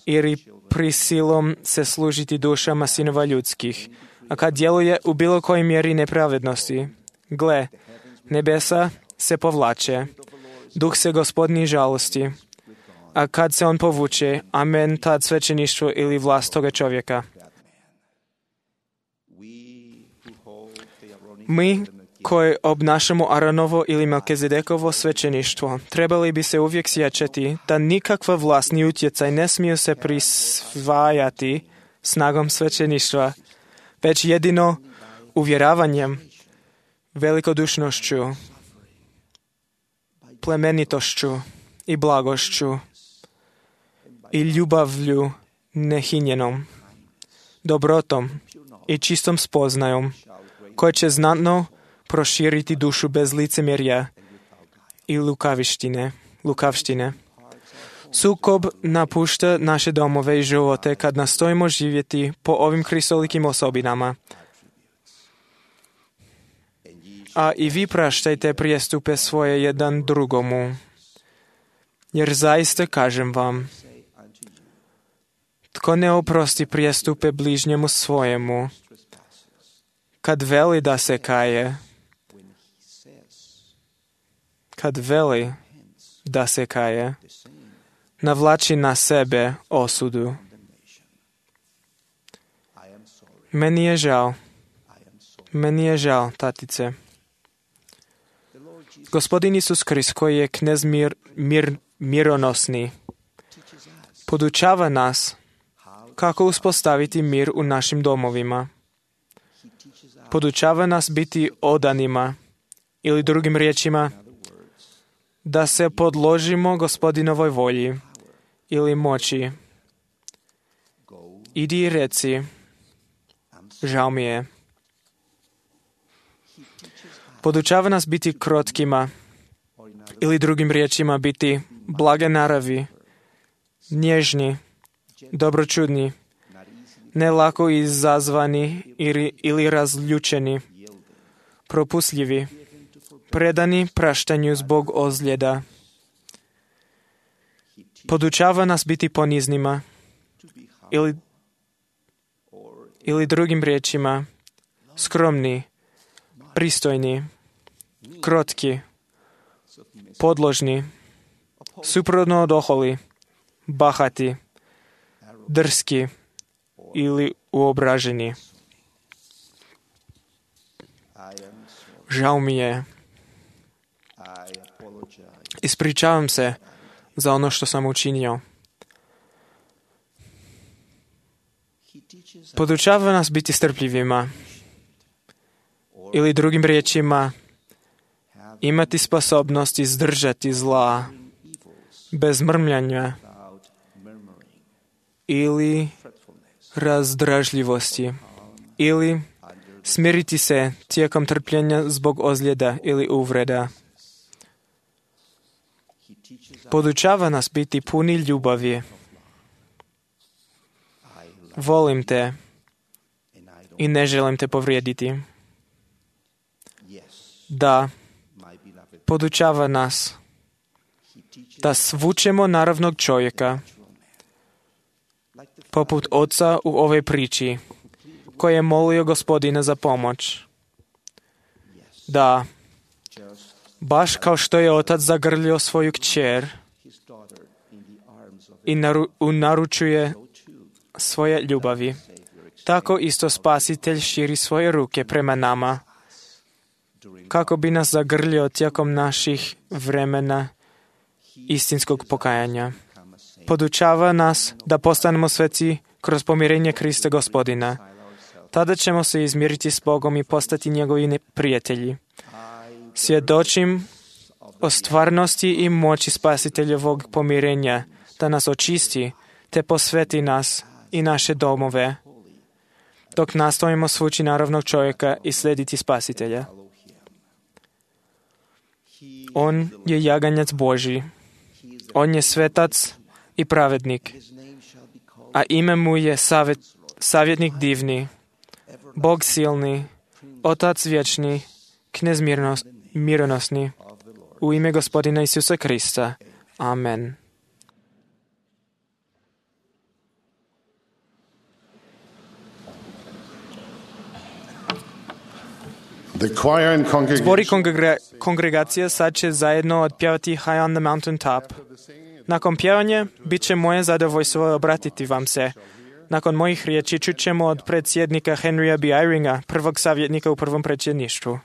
ili prisilom se služiti dušama sinova ljudskih, a kad djeluje u bilo kojoj mjeri nepravednosti. Gle, nebesa se povlače, duh se Gospodnji žalosti, a kad se on povuče, amen, tad svećeništvo ili vlast toga čovjeka. Mi koji obnašamo Aronovo ili Melkizedekovo svećeništvo, trebali bi se uvijek sjećati da nikakva vlast ni utjecaj ne smiju se prisvajati snagom svećeništva, već jedino uvjeravanjem, velikodušnošću, plemenitošću i blagošću i ljubavlju nehinjenom, dobrotom i čistom spoznajom, koje će znatno proširiti dušu bez licemjerja i lukavštine. Sukob napušta naše domove i živote kad nastojimo živjeti po ovim kristolikim osobinama. A i vi praštajte prijestupe svoje jedan drugomu, jer zaista kažem vam, tko ne oprosti prijestupe bližnjemu svojemu, kad veli da se kaje, navlači na sebe osudu. Meni je žao, tatice. Gospodin Isus Krist, koji je knez mironosni, podučava nas kako uspostaviti mir u našim domovima. Podučava nas biti odanima, ili drugim riječima, da se podložimo Gospodinovoj volji ili moći. Idi i reci, žao mi je. Podučava nas biti krotkima, ili drugim riječima biti blage naravi, nježni, dobročudni, ne lako izazvani ili razljučeni, propustljivi, predani praštanju zbog ozljeda. Podučava nas biti poniznima, ili drugim riječima, skromni, pristojni, krotki, podložni, suprotno od oholi, bahati, drski ili uobraženi. Žao mi je. Ispričavam se za ono što sam učinio. Podučava nas biti strpljivima, ili drugim riječima, imati sposobnost izdržati zla bez mrmljanja ili razdražljivosti ili smiriti se tijekom trpljenja zbog ozljeda ili uvreda. Podučava nas biti puni ljubavi. Volim te i ne želim te povrijediti. Da, podučava nas da svučemo naravnog čovjeka, poput oca u ovoj priči, koji je molio Gospodina za pomoć. Da, baš kao što je otac zagrlio svoju kćer i naručuje svoje ljubavi, tako isto Spasitelj širi svoje ruke prema nama, kako bi nas zagrlio tijekom naših vremena istinskog pokajanja. Podučava nas da postanemo sveci kroz pomirenje Krista Gospodina. Tada ćemo se izmiriti s Bogom i postati njegovi prijatelji. Svjedočim o stvarnosti i moći Spasiteljevog pomirenja, da nas očisti te posveti nas i naše domove, dok nastojimo svući naravnog čovjeka i slijediti Spasitelja. On je jaganjac Božji. On je svetac i pravednik, a ime mu je savjetnik divni, Bog silni, Otac vječni, Knez mironosni, u ime Gospodina Isusa Krista. Amen. Zbor i kongregacija sad će zajedno odpjevati High on the Mountain Top. Nakon pjevanja bit će moje zadovoljstvo obratiti vam se. Nakon mojih riječi čućemo od predsjednika Henrya B. Eyringa, prvog savjetnika u prvom predsjedništvu.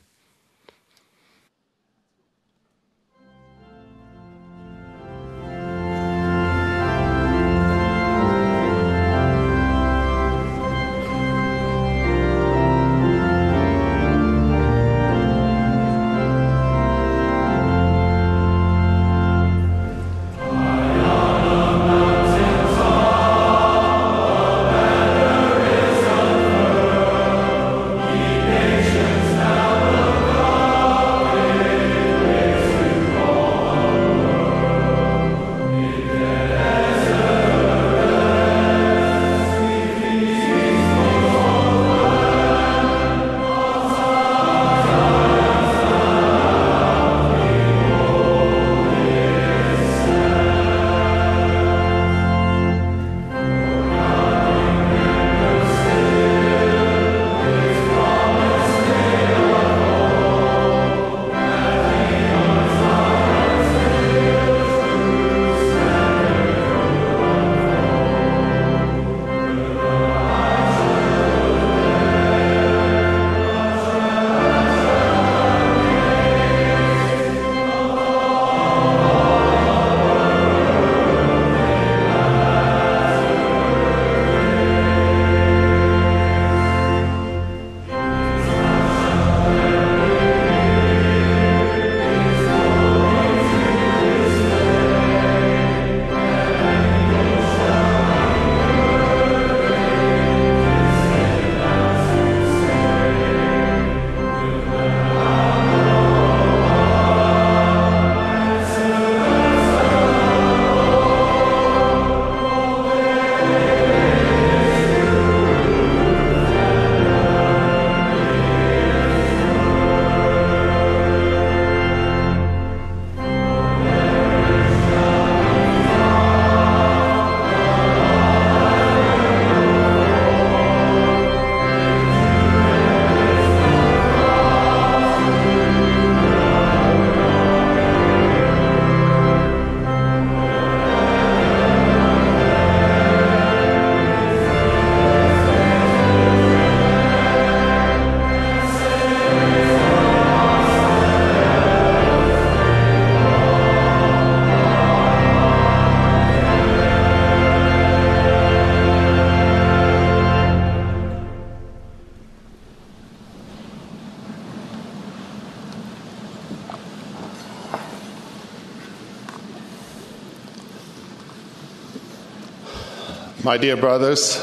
My dear brothers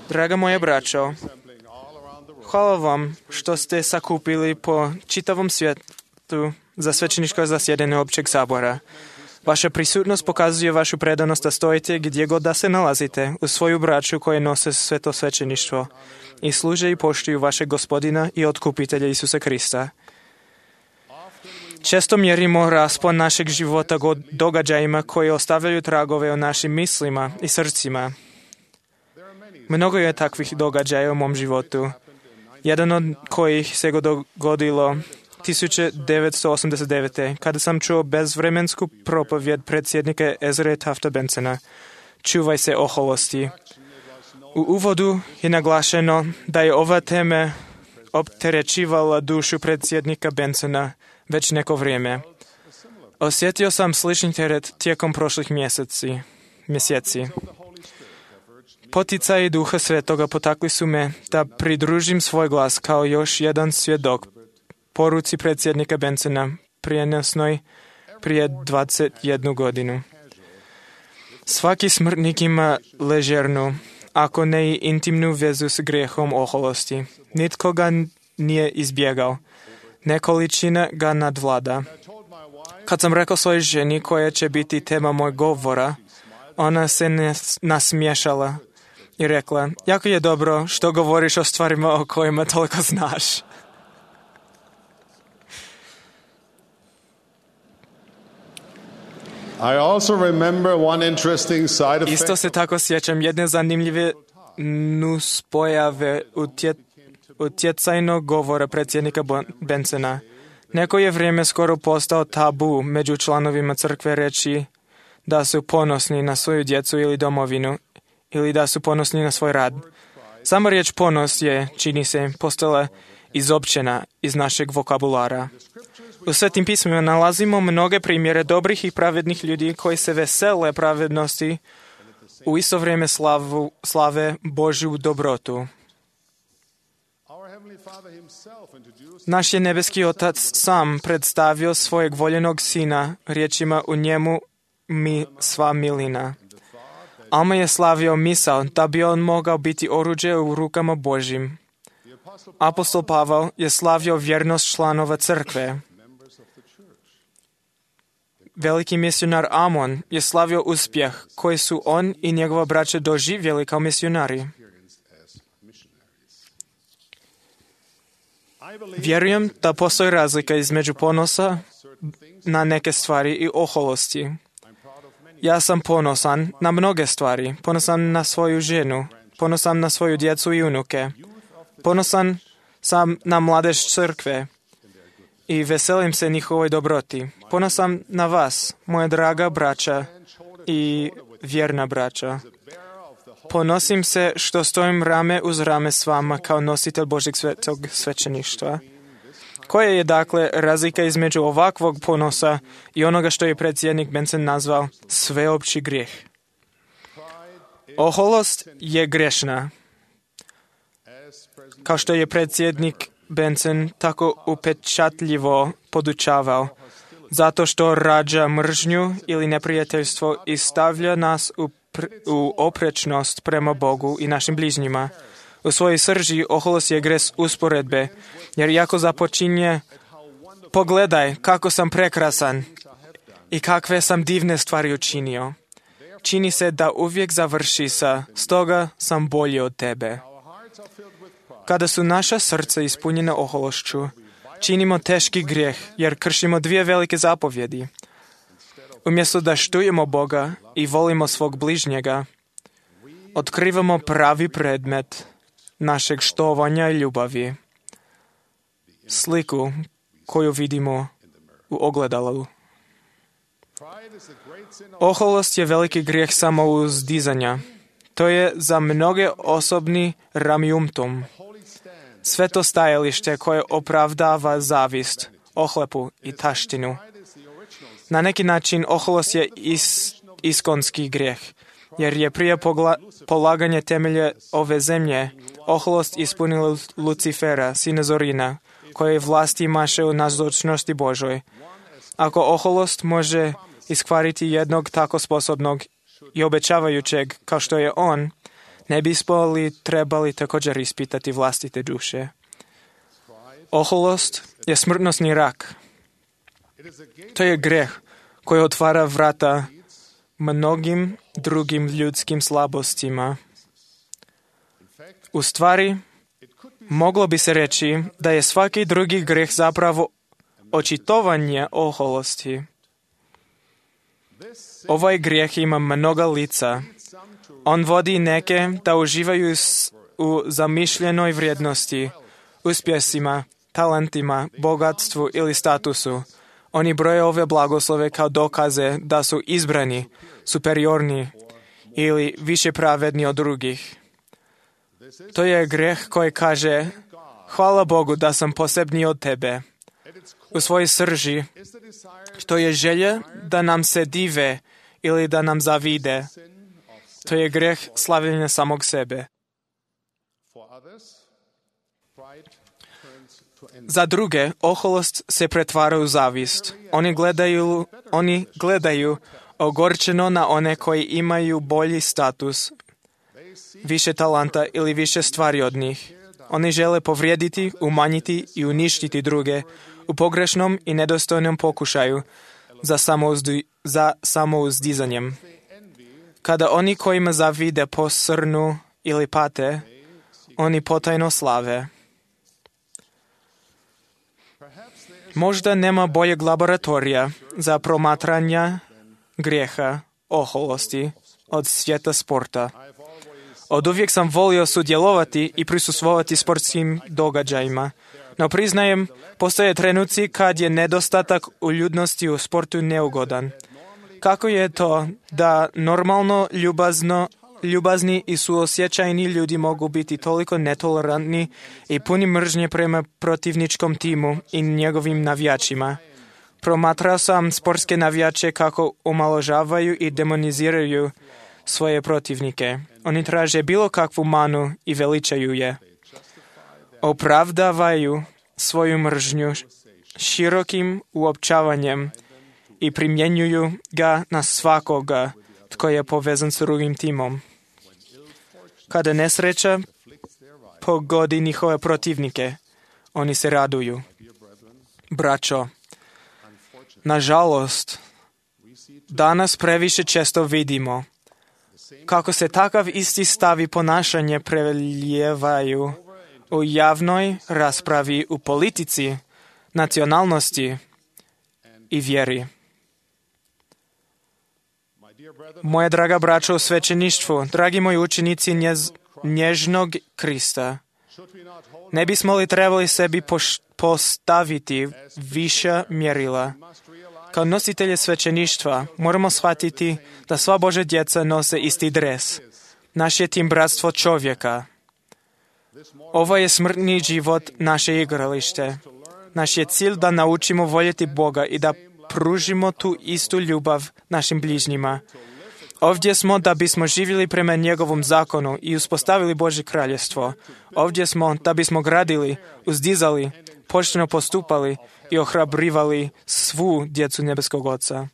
Draga moja braćo, hvala vam što ste sakupili po čitavom svijetu za svećeničko zasjedanje općeg sabora. Vaša prisutnost pokazuje vašu predanost da stojite gdje god da se nalazite u svoju braću koje nose sveto svećeništvo i služe i poštuju vašeg Gospodina i Otkupitelja Isusa Krista. Često mjerimo raspon našeg života događajima koji ostavljaju tragove u našim mislima i srcima. Mnogo je takvih događaja u mom životu. Jedan od kojih se dogodilo 1989. kada sam čuo bezvremensku propovjed predsjednika Ezre Tafta Bensona. Čuvaj se oholosti. U uvodu je naglašeno da je ova tema opterećivala dušu predsjednika Bensona već neko vrijeme. Osjetio sam slični teret tijekom prošlih mjeseci. Poticaji Duha Svetoga potakli su me da pridružim svoj glas kao još jedan svjedok poruci predsjednika Bensona prijenosnoj prije 21 godinu. Svaki smrtnik ima ležernu, ako ne i intimnu vezu s grijehom oholosti. Nitko ga nije izbjegao. Nekoličina ga nadvlada. Kad sam rekao svojoj ženi koja će biti tema moj govora, ona se nasmiješala i rekla, jako je dobro što govoriš o stvarima o kojima toliko znaš. I also remember one interesting side effect. Isto se tako sjećam jedne zanimljive nuspojave utjecajnog govora predsjednika Bensona. Neko je vrijeme skoro postao tabu među članovima crkve reći da su ponosni na svoju djecu ili domovinu, ili da su ponosni na svoj rad. Sama riječ ponos je, čini se, postala izopćena iz našeg vokabulara. U Svetim pismima nalazimo mnoge primjere dobrih i pravednih ljudi koji se vesele pravednosti, u isto vrijeme slave Božju dobrotu. Naš je nebeski Otac sam predstavio svojeg voljenog sina riječima u njemu mi sva milina. Alma je slavio misao da bi on mogao biti oruđe u rukama Božjim. Apostol Pavel je slavio vjernost članova crkve. Veliki misionar Amon je slavio uspjeh koji su on i njegova braća doživjeli kao misionari. Vjerujem da postoji razlika između ponosa na neke stvari i oholosti. Ja sam ponosan na mnoge stvari. Ponosan na svoju ženu. Ponosan na svoju djecu i unuke. Ponosan sam na mladež crkve i veselim se njihovoj dobroti. Ponosan na vas, moja draga braća i vjerna braća. Ponosim se što stojim rame uz rame s vama kao nositelj Božjeg svetog svećeništva. Koja je dakle razlika između ovakvog ponosa i onoga što je predsjednik Benson nazvao sveopći grijeh? Oholost je grešna. Kao što je predsjednik Benson tako upečatljivo podučavao, zato što rađa mržnju ili neprijateljstvo i stavlja nas u oprečnost prema Bogu i našim bližnjima. U svojoj srži oholost je gres usporedbe, jer jako započinje pogledaj kako sam prekrasan i kakve sam divne stvari učinio. Čini se da uvijek završi sa stoga sam bolji od tebe. Kada su naša srca ispunjena ohološću, činimo teški grijeh jer kršimo dvije velike zapovjedi. Umjesto da štujemo Boga i volimo svog bližnjega, otkrivamo pravi predmet našeg štovanja i ljubavi. Sliku koju vidimo u ogledalu. Oholost je veliki grijeh samouzdizanja. To je za mnoge osobni ramiumtum. Sveto stajalište koje opravdava zavist, ohlepu i taštinu. Na neki način oholost je iskonski grijeh, jer je prije polaganja temelja ove zemlje oholost ispunila Lucifera, sina Zorina, koji vlasti imaše u nazočnosti Božoj. Ako oholost može iskvariti jednog tako sposobnog i obećavajućeg kao što je on, Ne bismo li trebali također ispitati vlastite duše? Oholost je smrtnosni rak. To je greh koji otvara vrata mnogim drugim ljudskim slabostima. U stvari, moglo bi se reći da je svaki drugi greh zapravo očitovanje oholosti. Ovaj grijeh ima mnoga lica. On vodi neke da uživaju u zamišljenoj vrijednosti, uspjesima, talentima, bogatstvu ili statusu. Oni broje ove blagoslove kao dokaze da su izbrani, superiorni ili više pravedni od drugih. To je greh koji kaže, hvala Bogu da sam posebniji od tebe. U svojoj srži, to je želja da nam se dive ili da nam zavide. To je greh slavljenja samog sebe. Za druge, oholost se pretvara u zavist. Oni gledaju ogorčeno na one koji imaju bolji status, više talenta ili više stvari od njih. Oni žele povrijediti, umanjiti i uništiti druge u pogrešnom i nedostojnom pokušaju za samouzdizanjem. Kada oni kojima zavide posrnu ili pate, oni potajno slave. Možda nema boljeg laboratorija za promatranje grijeha, oholosti od svijeta sporta. Oduvijek sam volio sudjelovati i prisustvovati sportskim događajima, no priznajem, postoje trenuci kad je nedostatak uljudnosti u sportu neugodan. Kako je to da normalno ljubazni i suosjećajni ljudi mogu biti toliko netolerantni i puni mržnje prema protivničkom timu i njegovim navijačima? Promatrao sam sportske navijače kako omalovažavaju i demoniziraju svoje protivnike. Oni traže bilo kakvu manu i veličaju je. Opravdavaju svoju mržnju širokim uopćavanjem i primjenjuju ga na svakoga tko je povezan s drugim timom. Kada nesreća pogodi njihove protivnike, oni se raduju. Braćo, nažalost, danas previše često vidimo kako se takav isti stav i ponašanje prelijevaju u javnoj raspravi, u politici, nacionalnosti i vjeri. Moja draga braćo u svećeništvu, dragi moji učenici nježnog Krista, ne bismo li trebali sebi postaviti viša mjerila? Kao nositelje svećeništva moramo shvatiti da sva Božja djeca nose isti dres. Naš je tim bratstvo čovjeka. Ovo je smrtni život naše igralište. Naš je cilj da naučimo voljeti Boga i da pružimo tu istu ljubav našim bližnjima. Ovdje smo da bismo živjeli prema njegovom zakonu i uspostavili Božje kraljestvo. Ovdje smo da bismo gradili, uzdizali, pošteno postupali i ohrabrivali svu djecu nebeskog Oca.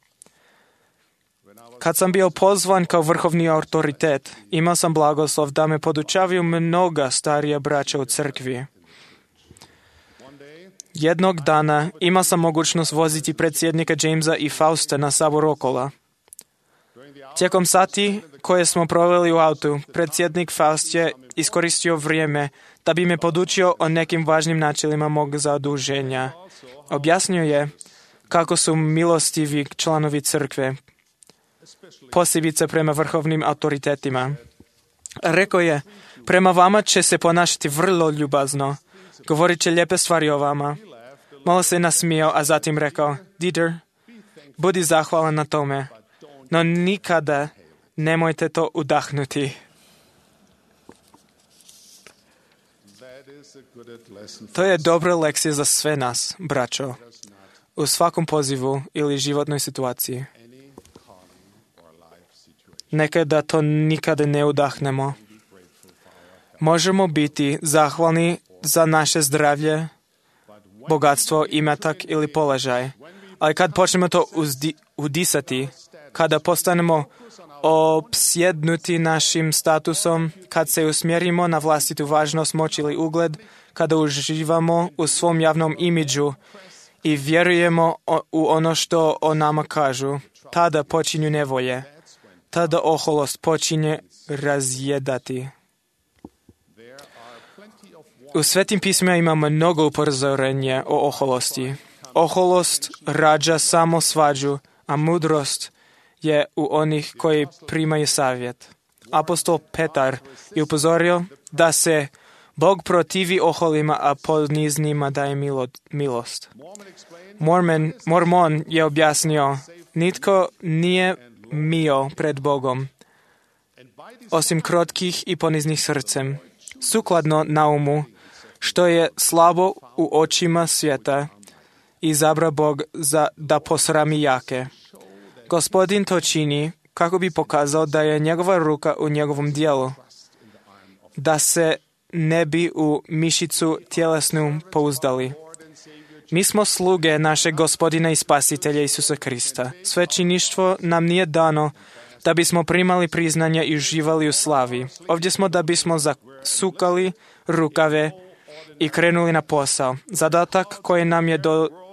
Kad sam bio pozvan kao vrhovni autoritet, imao sam blagoslov da me podučavaju mnoga starija braća u crkvi. Jednog dana imao sam mogućnost voziti predsjednika Jamesa i Fausta na sabor Okola. Tijekom sati koje smo proveli u autu, predsjednik Faust je iskoristio vrijeme da bi me podučio o nekim važnim načelima mog zaduženja. Objasnio je kako su milostivi članovi crkve, posebice prema vrhovnim autoritetima. Rekao je, prema vama će se ponašati vrlo ljubazno, govorit će lijepe stvari o vama. Malo se nasmijao, a zatim rekao, Dieter, budi zahvalan na tome, no nikada nemojte to udahnuti. To je dobra lekcija za sve nas, braćo, u svakom pozivu ili životnoj situaciji. Nekada to nikada ne udahnemo. Možemo biti zahvalni za naše zdravlje, bogatstvo, imetak ili položaj. Ali kad počnemo to udisati, kada postanemo opsjednuti našim statusom, kad se usmjerimo na vlastitu važnost, moć ili ugled, kada uživamo u svom javnom imidžu i vjerujemo u ono što o nama kažu, tada počinju nevolje. Tada oholost počinje razjedati. U Svetim pismima imamo mnogo upozorenja o oholosti. Oholost rađa samo svađu, a mudrost je u onih koji primaju savjet. Apostol Petar je upozorio da se Bog protivi oholima, a poniznima daje milost. Mormon je objasnio, nitko nije mio pred Bogom, osim krotkih i poniznih srcem, sukladno naumu, što je slabo u očima svijeta, izabra Bog da posrami jake. Gospodin to čini kako bi pokazao da je njegova ruka u njegovom dijelu, da se ne bi u mišicu tjelesnu pouzdali. Mi smo sluge našeg Gospodina i Spasitelja Isusa Krista. Svećeništvo nam nije dano da bismo primali priznanja i uživali u slavi. Ovdje smo da bismo zasukali rukave i krenuli na posao. Zadatak koji nam je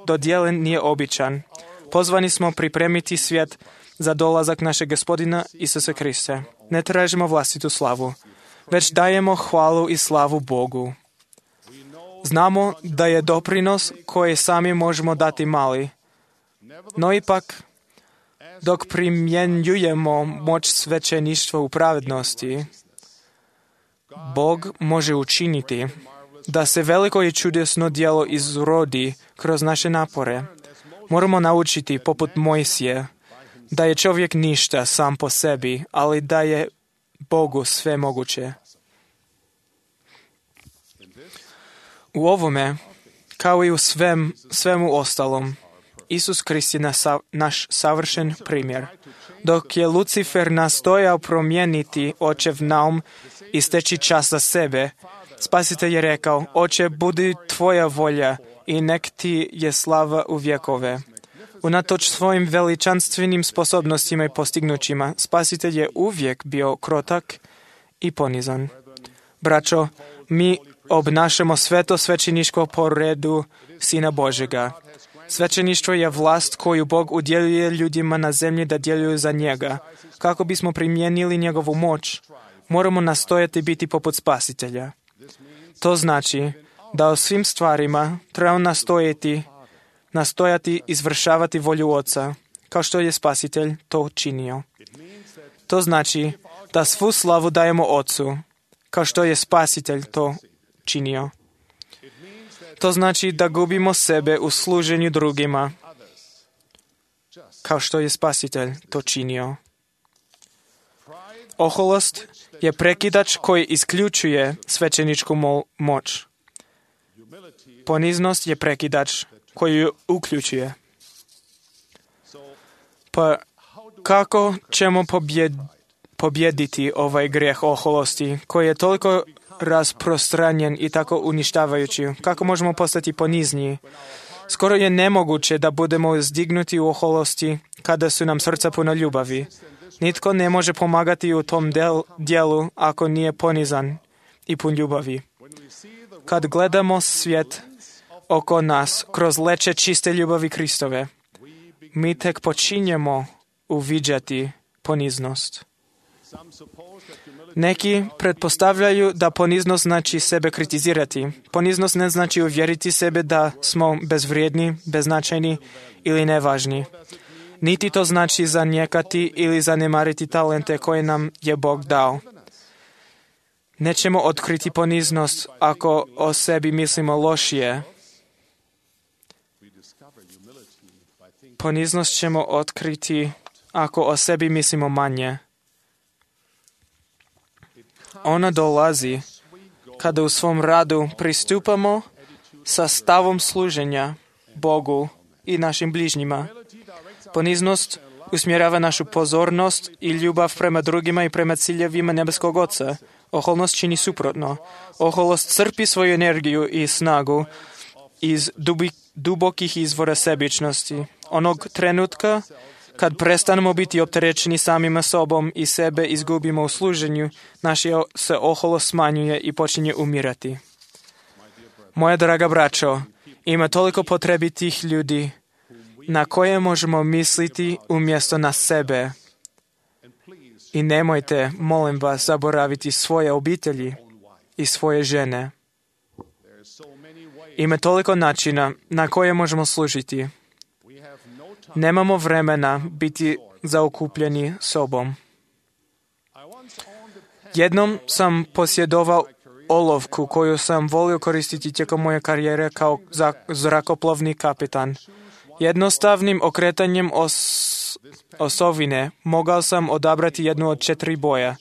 dodijeljen nije običan. Pozvani smo pripremiti svijet za dolazak našeg Gospodina Isusa Krista. Ne tražimo vlastitu slavu, već dajemo hvalu i slavu Bogu. Znamo da je doprinos koji sami možemo dati mali, no ipak, dok primjenjujemo moć svećeništva u pravednosti, Bog može učiniti da se veliko i čudesno djelo izrodi kroz naše napore. Moramo naučiti, poput Mojsije, da je čovjek ništa sam po sebi, ali da je Bogu sve moguće. U ovome, kao i u svemu ostalom, Isus Krist je naš savršen primjer. Dok je Lucifer nastojao promijeniti očev naum i steći čas za sebe, Spasitelj je rekao, Oče, budi tvoja volja i nek ti je slava u vjekove. Unatoč svojim veličanstvenim sposobnostima i postignućima, Spasitelj je uvijek bio krotak i ponizan. Braćo, mi obnašamo sveto svećeništvo po redu Sina Božjega. Svećeništvo je vlast koju Bog udjeljuje ljudima na zemlji da djeluju za njega. Kako bismo primijenili njegovu moć, moramo nastojati biti poput Spasitelja. To znači da o svim stvarima trebamo nastojati izvršavati volju Oca, kao što je Spasitelj to činio. To znači da svu slavu dajemo Ocu, kao što je Spasitelj to činio. To znači da gubimo sebe u služenju drugima, kao što je Spasitelj to činio. Oholost je prekidač koji isključuje svećeničku moć. Poniznost je prekidač koji ju uključuje. Pa kako ćemo pobjediti ovaj grijeh oholosti koji je toliko rasprostranjen i tako uništavajući? Kako možemo postati ponizniji? Skoro je nemoguće da budemo zdignuti u oholosti kada su nam srca puno ljubavi. Nitko ne može pomagati u tom dijelu ako nije ponizan i pun ljubavi. Kad gledamo svijet oko nas kroz leće čiste ljubavi Kristove, mi tek počinjemo uviđati poniznost. Neki pretpostavljaju da poniznost znači sebe kritizirati. Poniznost ne znači uvjeriti sebe da smo bezvrijedni, beznačajni ili nevažni. Niti to znači zanijekati ili zanemariti talente koje nam je Bog dao. Nećemo otkriti poniznost ako o sebi mislimo lošije. Poniznost ćemo otkriti ako o sebi mislimo manje. Ona dolazi kada u svom radu pristupamo sa stavom služenja Bogu i našim bližnjima. Poniznost usmjerava našu pozornost i ljubav prema drugima i prema ciljevima nebeskog Oca. Oholost čini suprotno. Oholost crpi svoju energiju i snagu iz dubokih izvora sebičnosti. Onog trenutka Kad prestanemo biti opterećeni samima sobom i sebe izgubimo u služenju, naša se oholost smanjuje i počinje umirati. Moja draga braćo, ima toliko potrebitih ljudi na koje možemo misliti umjesto na sebe. I nemojte, molim vas, zaboraviti svoje obitelji i svoje žene. Ima toliko načina na koje možemo služiti. Nemamo vremena biti zaokupljeni sobom. Jednom sam posjedovao olovku koju sam volio koristiti tijekom moje karijere kao zrakoplovni kapitan. Jednostavnim okretanjem osovine mogao sam odabrati jednu od 4 boja.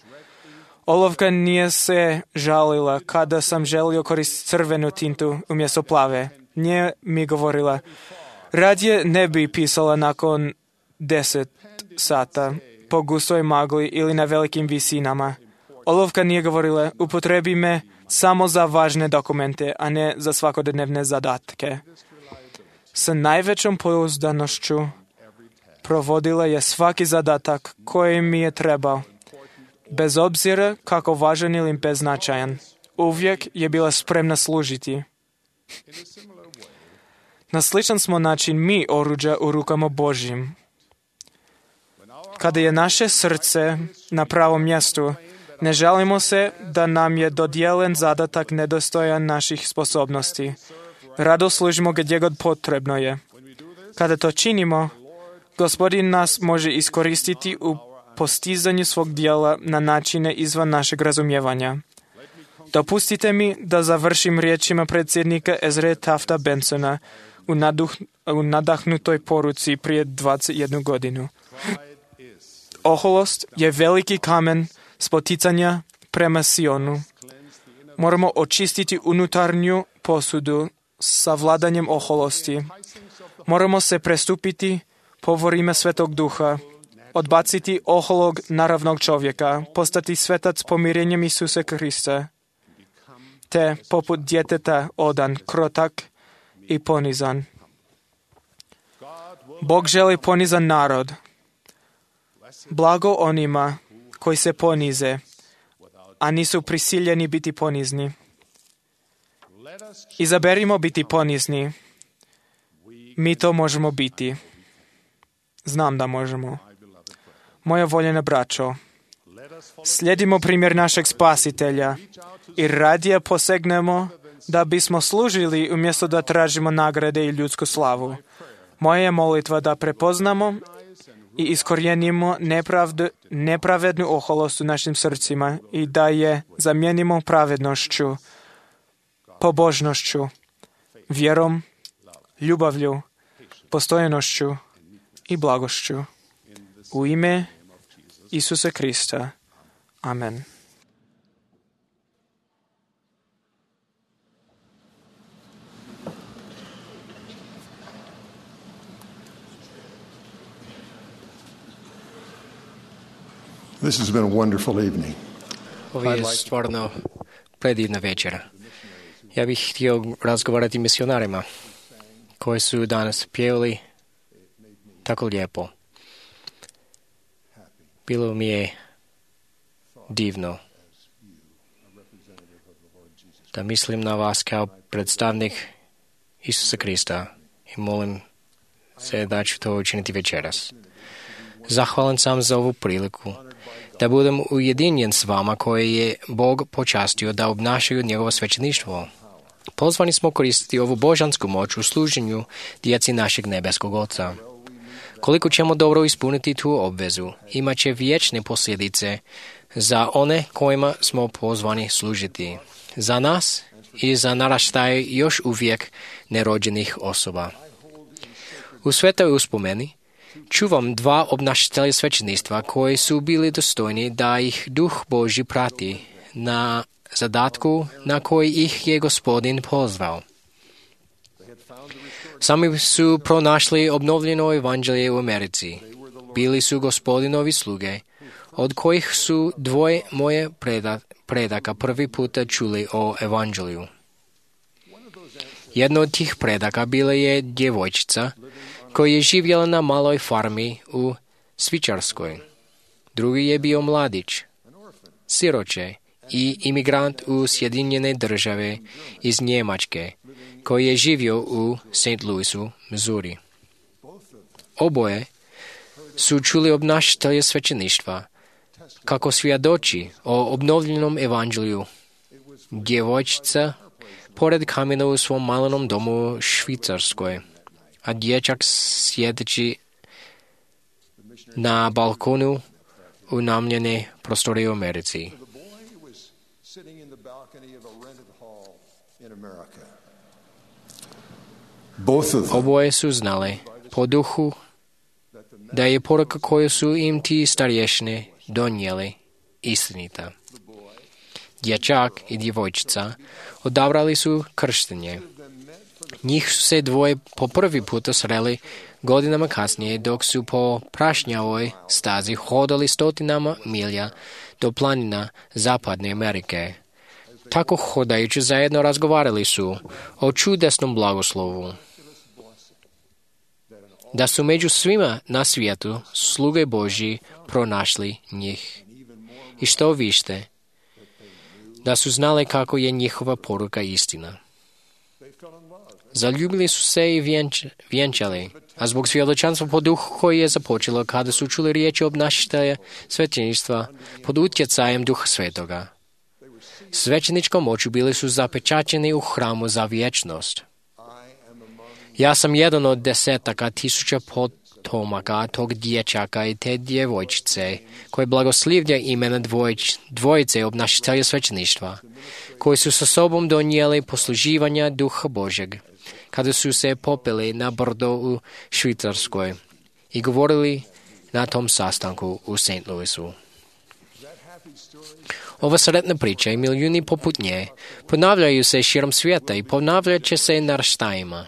Olovka nije se žalila kada sam želio koristiti crvenu tintu umjesto plave. Nije mi govorila, radije ne bi pisala nakon 10 sata po gustoj magli ili na velikim visinama. Olovka nije govorila, upotrebi me samo za važne dokumente, a ne za svakodnevne zadatke. Sa najvećom pouzdanošću provodila je svaki zadatak koji mi je trebao. Bez obzira kako važan ili beznačajan, uvijek je bila spremna služiti. Na sličan smo način mi oruđa u rukama Božjim. Kada je naše srce na pravom mjestu, ne žalimo se da nam je dodijeljen zadatak nedostojan naših sposobnosti. Rado služimo gdje god potrebno je. Kada to činimo, Gospodin nas može iskoristiti u postizanju svog dijela na načine izvan našeg razumijevanja. Dopustite mi da završim riječima predsjednika Ezre Tafta Bensona u nadahnutoj poruci prije 21 godinu. Oholost je veliki kamen spoticanja prema Sionu. Moramo očistiti unutarnju posudu sa vladanjem oholosti. Moramo se prestupiti povorima Svetog Duha, odbaciti oholog naravnog čovjeka, postati svetac pomirenjem Isusa Krista, te poput djeteta odan, krotak i ponizan. Bog želi ponizan narod. Blago onima koji se ponize, a nisu prisiljeni biti ponizni. Izaberimo biti ponizni. Mi to možemo biti. Znam da možemo. Moja voljena braćo, slijedimo primjer našeg Spasitelja i radije posegnemo da bismo služili umjesto da tražimo nagrade i ljudsku slavu. Moja je molitva da prepoznamo i iskorijenimo nepravednu oholost u našim srcima i da je zamijenimo pravednošću, pobožnošću, vjerom, ljubavlju, postojanošću i blagošću. U ime Isusa Krista. Amen. This has been a wonderful evening. Ovo je stvarno predivna večera. Ja bih htio razgovarati s misionarima koji su danas pjevali tako lijepo. Bilo mi je divno da mislim na vas kao predstavnik Isusa Krista i molim se da ću to učiniti večeras. Zahvalan sam za ovu priliku da budem ujedinjen s vama koje je Bog počastio da obnašaju njegovo svećeništvo. Pozvani smo koristiti ovu božansku moć u služenju djeci našeg nebeskog Oca. Koliko ćemo dobro ispuniti tu obvezu, imat će vječne posljedice za one kojima smo pozvani služiti, za nas i za naraštaje još uvijek nerođenih osoba. U svetoj uspomeni čuvam 2 obnašatelja svećeništva koji su bili dostojni da ih Duh Božji prati na zadatku na koji ih je Gospodin pozvao. Sami su pronašli obnovljeno evanđelje u Americi. Bili su Gospodinovi sluge, od kojih su 2 moje predaka prvi puta čuli o evanđelju. Jedna od tih predaka bila je djevojčica koji je živjela na maloj farmi u Švicarskoj. Drugi je bio mladić, siroče i imigrant u Sjedinjene države iz Njemačke, koji je živio u St. Louisu, Missouri. Oboje su čuli obnašatelje svećeništva kako svjedoči o obnovljenom evanđelju. Djevojčica pored kamena u svom malenom domu u Švicarskoj, a dječak sjedeći na balkonu unamljene prostorije u Americi. Oboje su znali po duhu da je poruka koju su im ti starješine donijeli istinita. Dječak i djevojčica odabrali su krštenje. Njih su se dvoje po prvi puta sreli godinama kasnije dok su po prašnjavoj stazi hodali stotinama milja do planina Zapadne Amerike. Tako hodajući zajedno razgovarali su o čudesnom blagoslovu. Da su među svima na svijetu sluge Božji pronašli njih. I što više, da su znali kako je njihova poruka istina. Zaljubili su se i vjenčali, a zbog svjedočanstva po duhu koji je započelo kada su čuli riječi obnašatelja svećeništva pod utjecajem Duha Svetoga. Svećeničkom moću bili su zapečaćeni u hramu za vječnost. Ja sam jedan od desetaka tisuća potomaka tog dječaka i te djevojčice, koje blagoslivlja imena dvojice obnašatelja svećeništva, koji su sa sobom donijeli posluživanja Duha Božeg, kada su se popeli na brdo u Švicarskoj i govorili na tom sastanku u St. Louisu. Ova sretna priča i milijuni poput nje ponavljaju se širom svijeta i ponavljat će se naraštajima.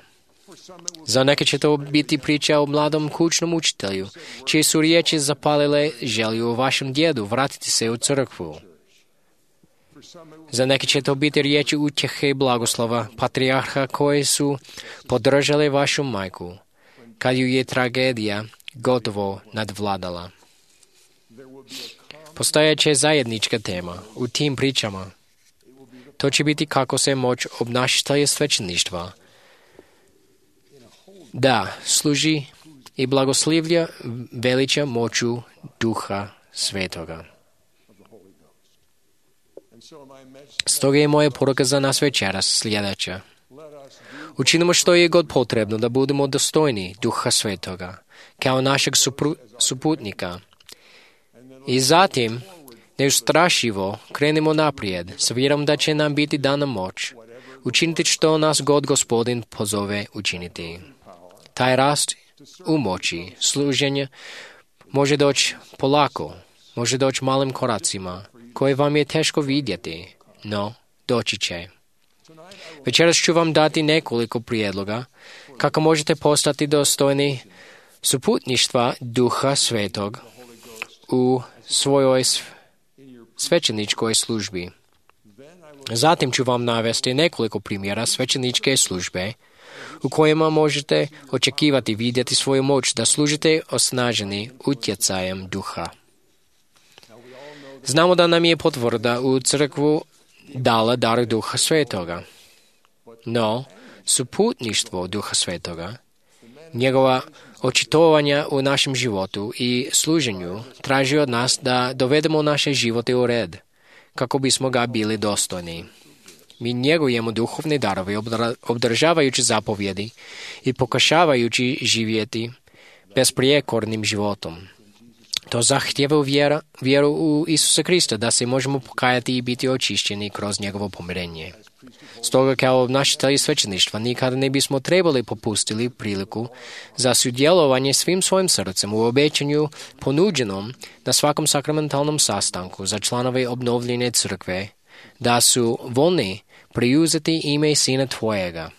Za neke će to biti priča o mladom kućnom učitelju, čije su riječi zapalile želju o vašem djedu vratiti se u crkvu. Za neke će to biti riječi utjehe i blagoslova patrijarha koje su podržale vašu majku, kad ju je tragedija gotovo nadvladala. Postojeće zajednička tema u tim pričama. To će biti kako se moć obnašatelja svećeništva da služi i blagoslivlja veliča moću Duha Svetoga. Stoga je moja poruka za nas večeras sljedeća. Učinimo što je god potrebno da budemo dostojni Duha Svetoga, kao našeg suputnika. I zatim, neustrašivo krenimo naprijed, s vjerom da će nam biti dana moć, učiniti što nas god Gospodin pozove učiniti. Taj rast u moći služenja može doći polako, može doći malim koracima, koje vam je teško vidjeti, no doći će. Večeras ću vam dati nekoliko prijedloga kako možete postati dostojni suputništva Duha Svetog u svojoj svećeničkoj službi. Zatim ću vam navesti nekoliko primjera svećeničke službe u kojima možete očekivati vidjeti svoju moć da služite osnaženi utjecajem Duha. Znamo da nam je potvrda u crkvu dala dar Duha Svetoga. No, suputništvo Duha Svetoga, njegova očitovanja u našem životu i služenju traži od nas da dovedemo naše živote u red, kako bismo ga bili dostojni. Mi njegujemo duhovne darove obdržavajući zapovjedi i pokušavajući živjeti besprijekornim životom. To zahtjeva vjeru u Isusa Krista da se možemo pokajati i biti očišćeni kroz njegovo pomirenje. Stoga kao obnašatelji svećeništva nikada ne bismo trebali popustili priliku za sudjelovanje svim svojim srcem u obećanju ponuđenom na svakom sakramentalnom sastanku za članove obnovljene crkve, da su voljni preuzeti ime Sina Tvojega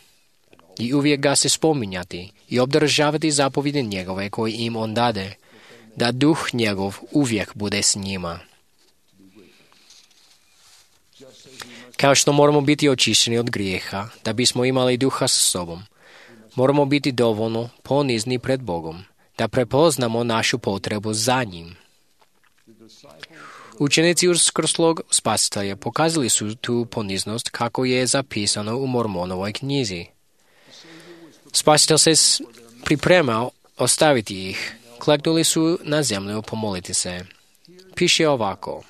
i uvijek ga se spominjati i obdržavati zapovjedi njegove koje im on dade, da duh njegov uvijek bude s njima. Kao što moramo biti očišćeni od grijeha, da bismo imali duha sa sobom, Moramo biti dovoljno ponizni pred Bogom, da prepoznamo našu potrebu za njim. Učenici uskrslog Spasitelja pokazali su tu poniznost kako je zapisano u Mormonovoj knjizi. Spasitelj se pripremao ostaviti ih. Kleknuli su na zemlju pomoliti se. Piše ovako.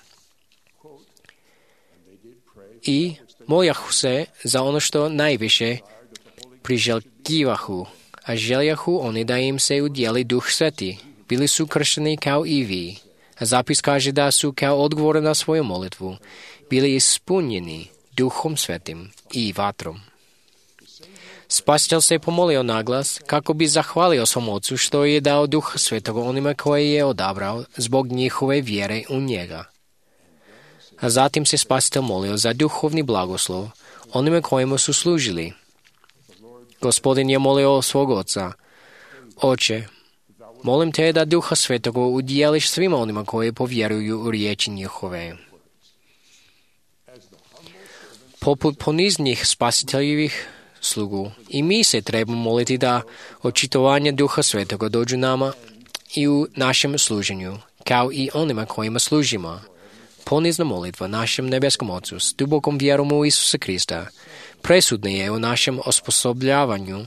I moljahu se za ono što najviše priželjkivahu, a željahu oni da im se udjeli Duh Sveti. Bili su kršteni kao i vi. A zapis kaže da su kao odgovor na svoju molitvu bili ispunjeni Duhom Svetim i vatrom. Spasitelj se pomolio naglas kako bi zahvalio svom Ocu što je dao Duha Svetog onima koje je odabrao zbog njihove vjere u njega. A zatim se Spasitelj molio za duhovni blagoslov onima kojima su služili. Gospodin je molio svog Oca, Oče, molim te da Duha Svetoga udjeliš svima onima koji povjeruju u riječi njihove. Poput poniznih spasiteljivih slugu, i mi se trebamo moliti da očitovanje Duha Svetoga dođu nama i u našem služenju, kao i onima kojima služimo. Ponizna molitva našem nebeskom Ocu s dubokom vjerom u Isusa Krista presudna je u našem osposobljavanju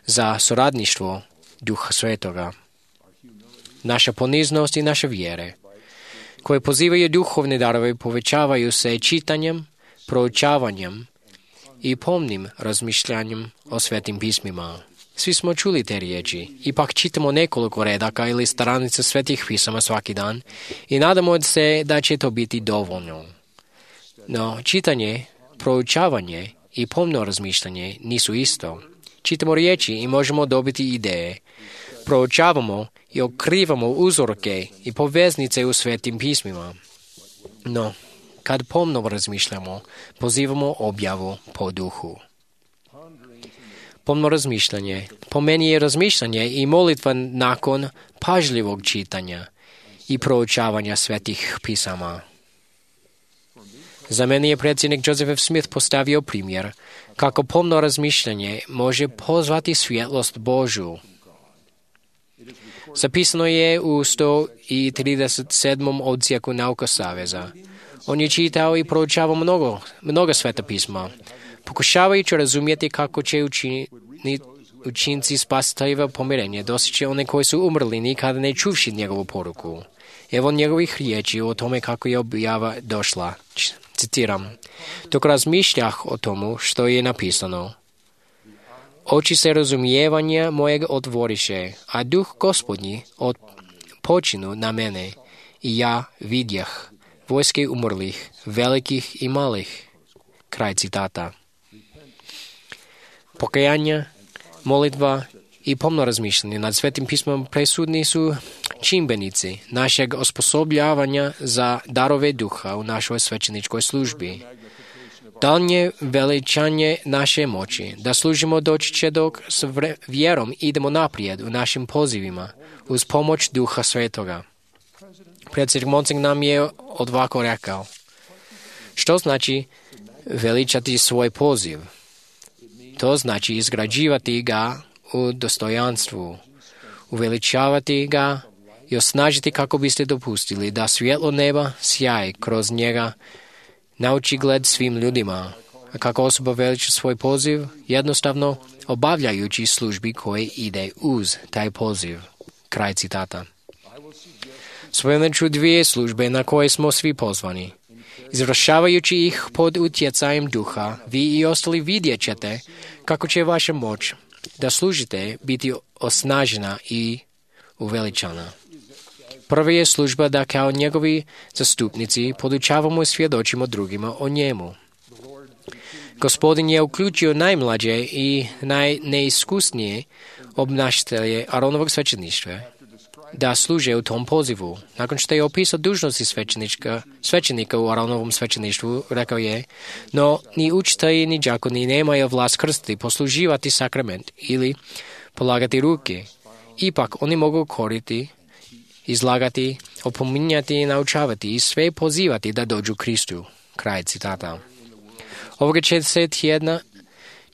za suradništvo Duha Svetoga. Naša poniznost i naše vjere, koje pozivaju duhovne darove, povećavaju se čitanjem, proučavanjem i pomnim razmišljanjem o svetim pismima. Svi smo čuli te riječi, ipak čitamo nekoliko redaka ili stranica svetih pisama svaki dan i nadamo se da će to biti dovoljno. No, čitanje, proučavanje i pomno razmišljanje nisu isto. Čitamo riječi i možemo dobiti ideje. Proučavamo i otkrivamo uzorke i poveznice u svetim pismima. No, kad pomno razmišljamo, pozivamo objavu po duhu. Pomno razmišljanje, po meni je razmišljanje i molitva nakon pažljivog čitanja i proučavanja svetih pisama. Za mene je predsjednik Joseph F. Smith postavio primjer kako pomno razmišljanje može pozvati svjetlost Božju. Zapisano je u 137. odsjeku Nauka Saveza. On je čitao i proučavao mnogo sveta pisma, pokušavajući razumjeti kako će učinci spasiteljeva pomirenja dostići one koji su umrli nikada ne čuvši njegovu poruku. Evo njegovih riječi o tome kako je objava došla. Citiram. Dok razmišljah o tomu što je napisano, oči se razumijevanja mojeg otvoriše, a duh Gospodnji počinu na mene, i ja vidjeh vojske umrlih, velikih i malih. Kraj citata. Pokajanje, molitva i pomno razmišljanje nad svetim pismom presudni su čimbenici našeg osposobljavanja za darove duha u našoj svećeničkoj službi. Daljnje veličanje naše moći, da služimo doći će dok s vjerom idemo naprijed u našim pozivima, uz pomoć Duha Svetoga. Predsjednik Monsing nam je ovako rekao, što znači veličati svoj poziv? To znači izgrađivati ga u dostojanstvu, uveličavati ga i osnažiti kako biste dopustili da svjetlo neba sjaje kroz njega na očigled svim ljudima. A kako osoba veliča svoj poziv? Jednostavno obavljajući službi koje ide uz taj poziv. Kraj citata. Spomenut ću dvije službe na koje smo svi pozvani. Izvršavajući ih pod utjecajem duha, vi i ostali vidjet ćete kako će vaša moć da služite biti osnažena i uveličana. Prva je služba da kao njegovi zastupnici podučavamo i svjedočimo drugima o njemu. Gospodin je uključio najmlađe i najneiskusnije obnašatelje Aronovog svećeništva da služe u tom pozivu. Nakon što je opisao dužnosti svećenika u Aronovom svećeništvu, rekao je, no ni učitelji ni đakoni nemaju vlast krstiti, posluživati sakrament ili polagati ruke. Ipak oni mogu koriti, izlagati, opominjati i naučavati i sve pozivati da dođu Kristu. Kraj citata. Ovoga će se tjedna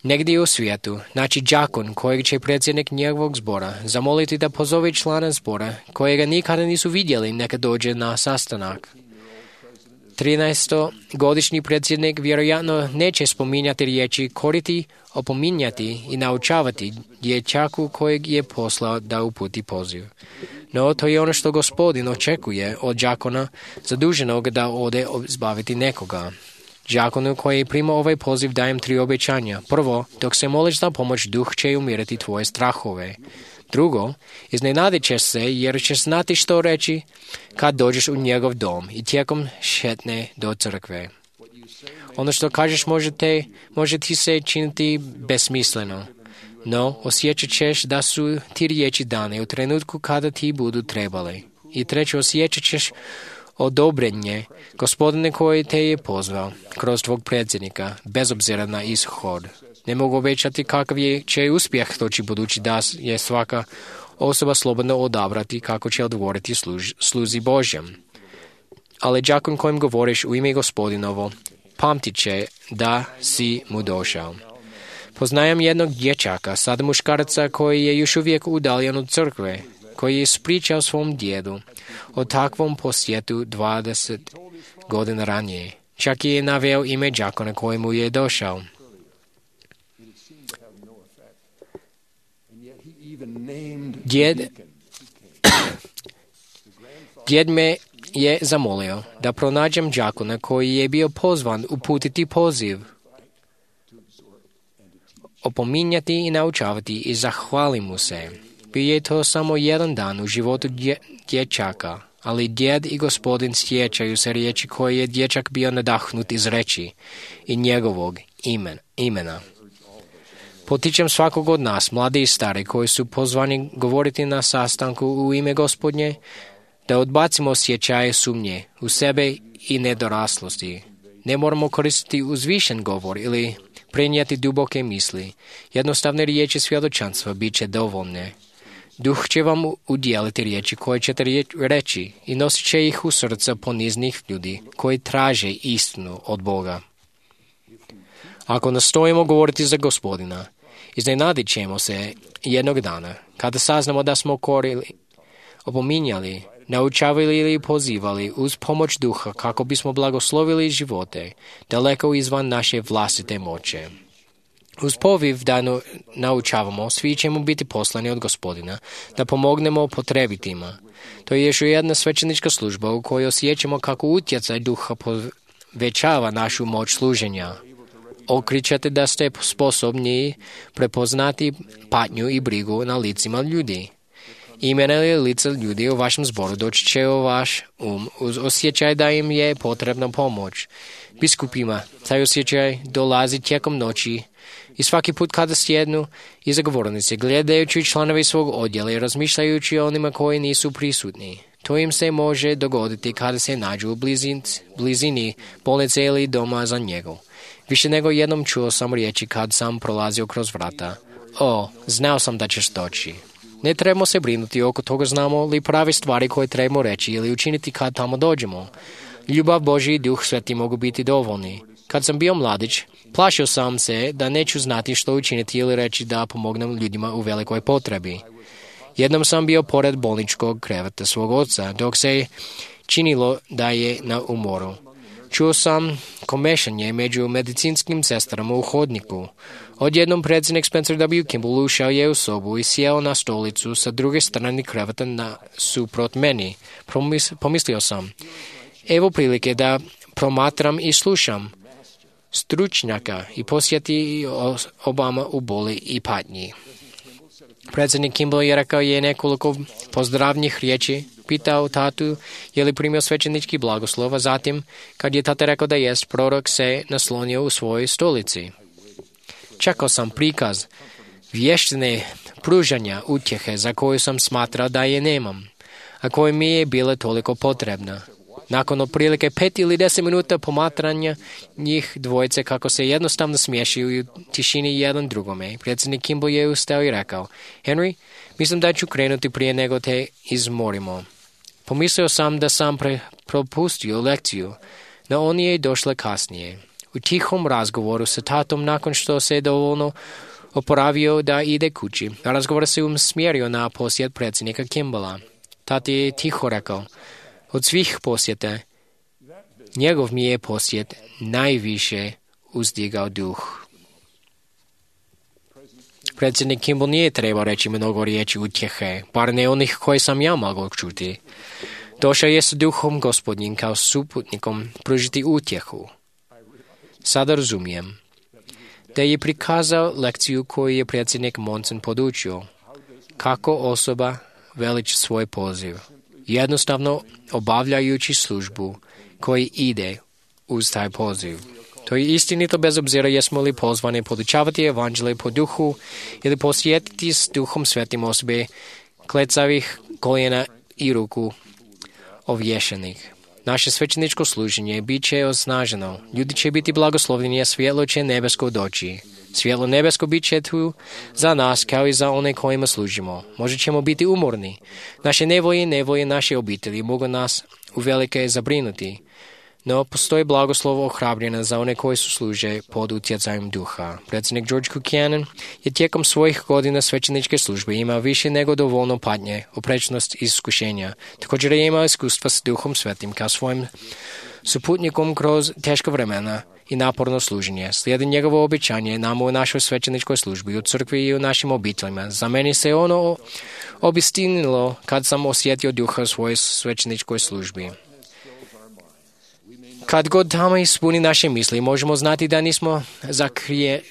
Negdje u svijetu, naći đakon kojeg će predsjednik njegovog zbora zamoliti da pozove člana zbora kojega nikada nisu vidjeli neka dođe na sastanak. 13-godišnji predsjednik vjerojatno neće spominjati riječi koriti, opominjati i naučavati dječaku kojeg je poslao da uputi poziv. No, to je ono što Gospodin očekuje od đakona zaduženog da ode zbaviti nekoga. Đakonu koji prima ovaj poziv dajem 3 obećanja. Prvo, dok se moliš za pomoć, Duh će umirati tvoje strahove. Drugo, iznenadit ćeš se jer ćeš znati što reći kad dođeš u njegov dom i tijekom šetnje do crkve. Ono što kažeš može ti se činiti besmisleno, no osjećat ćeš da su ti riječi dane u trenutku kada ti budu trebali. I treće, osjećat ćeš odobrenje Gospodine koji te je pozvao kroz tvog predsjednika, bez obzira na ishod. Ne mogu obećati kakav će uspjeh doći budući da je svaka osoba slobodno odabrati kako će odgovoriti sluzi Božjem. Ali đakon kojim govoriš u ime Gospodinovo, pamtit će da si mu došao. Poznajem jednog dječaka, sada muškaraca koji je još uvijek udaljen od crkve, koji je ispričao svom djedu o takvom posjetu 20 godina ranije. Čak je naveo ime đakona kojemu je došao. Djed me je zamolio da pronađem đakona koji je bio pozvan uputiti poziv, opominjati i naučavati i zahvali mu se. Bio je to samo jedan dan u životu dječaka, ali djed i Gospodin sjećaju se riječi koje je dječak bio nadahnut izreći i njegovog imena. Potičem svakog od nas, mladi i stari, koji su pozvani govoriti na sastanku u ime Gospodnje, da odbacimo osjećaje sumnje u sebe i nedoraslosti. Ne moramo koristiti uzvišen govor ili prenijeti duboke misli. Jednostavne riječi svjedočanstva bit će dovoljne. Duh će vam udjeliti riječi koje ćete reći i nosit će ih u srca poniznih ljudi koji traže istinu od Boga. Ako nastojimo govoriti za Gospodina, iznenadit ćemo se jednog dana, kada saznamo da smo korili, opominjali, naučavali ili pozivali uz pomoć Duha kako bismo blagoslovili živote, daleko izvan naše vlastite moće. Uz poviv da naučavamo, svi ćemo biti poslani od Gospodina, da pomognemo potrebitima. To je još jedna svećenička služba u kojoj osjećamo kako utjecaj Duha povećava našu moć služenja. Okričate da ste sposobni prepoznati patnju i brigu na licima ljudi. Imena ili lica ljudi u vašem zboru doći će u vaš uz osjećaj da im je potrebna pomoć. Biskupima taj osjećaj dolazi tijekom noći i svaki put kada sjednu iza govornice, gledajući članovi svog odjela i razmišljajući o onima koji nisu prisutni. To im se može dogoditi kada se nađu u blizini bolnice ili doma za njegu. Više nego jednom čuo sam riječi kad sam prolazio kroz vrata. Znao sam da ćeš doći. Ne trebamo se brinuti oko toga znamo li prave stvari koje trebamo reći ili učiniti kad tamo dođemo. Ljubav Božji i Duh Sveti mogu biti dovoljni. Kad sam bio mladić, plašio sam se da neću znati što učiniti ili reći da pomognem ljudima u velikoj potrebi. Jednom sam bio pored bolničkog kreveta svog oca, dok se činilo da je na umoru. Čuo sam komešanje među medicinskim sestrama u hodniku. Odjednom predsjednik Spencer W. Kimball ušao je u sobu i sjeo na stolicu sa druge strane kreveta nasuprot meni. Pomislio sam, evo prilike da promatram i slušam stručnjaka i posjeti Obama u boli i patnji. Predsjednik Kimball je rekao je nekoliko pozdravnih riječi, pitao tatu je li primio svećenički blagoslov, a zatim, kad je tata rekao da jest, prorok se naslonio u svojoj stolici. Čekao sam prikaz vještine pružanja utjehe za koju sam smatrao da je nemam, a koja mi je bila toliko potrebna. Nakon otprilike 5 ili 10 minuta pomatranja njih dvojice kako se jednostavno smiješuju u tišini jedan drugome, predsjednik Kimball je ustao i rekao, Henry, mislim da ću krenuti prije nego te izmorimo. Pomislio sam da sam propustio lekciju, no on je došla kasnije. U tihom razgovoru sa tatom nakon što se dovoljno oporavio da ide kući, razgovor se usmjerio na posjet predsjednika Kimballa. Tati je tiho rekao, od svih posjeta, njegov mi je posjet najviše uzdigao duh. Predsjednik Kimball nije trebao reći mnogo riječi utjehe, bar ne onih koje sam ja mogao čuti. Došao je s duhom Gospodnjim kao suputnikom pružiti utjehu. Sada razumijem da je prikazao lekciju koju je predsjednik Monson podučio, kako osoba veliči svoj poziv, jednostavno obavljajući službu koji ide uz taj poziv. To je istinito bez obzira jesmo li pozvani podučavati evanđelje po duhu ili posjetiti s duhom svetim osobe klecavih koljena i ruku ovješenih. Naše svećeničko služenje bit će osnaženo. Ljudi će biti blagoslovljeni, a svjetlo će nebesko doći. Svjetlo nebesko bit će tu za nas kao i za one kojima služimo. Možda ćemo biti umorni. Naše nevolje i nevolje naše obitelji mogu nas uvelike zabrinuti. No, postoji blagoslov ohrabrjenja za one koji su služe pod utjecajem duha. Predsjednik George Buchanan je tijekom svojih godina svećeničke službe imao više nego dovoljno patnje, oprečnost i iskušenja. Također je imao iskustva s duhom svetim kao svojim suputnikom kroz teška vremena i naporno služenje. Slijedi njegovo obećanje nama u našoj svećeničkoj službi, u crkvi i u našim obiteljima. Za meni se ono obistinilo kad sam osjetio duha u svojoj svećeničkoj službi. Kad god tamo ispuni naše misli, možemo znati da nismo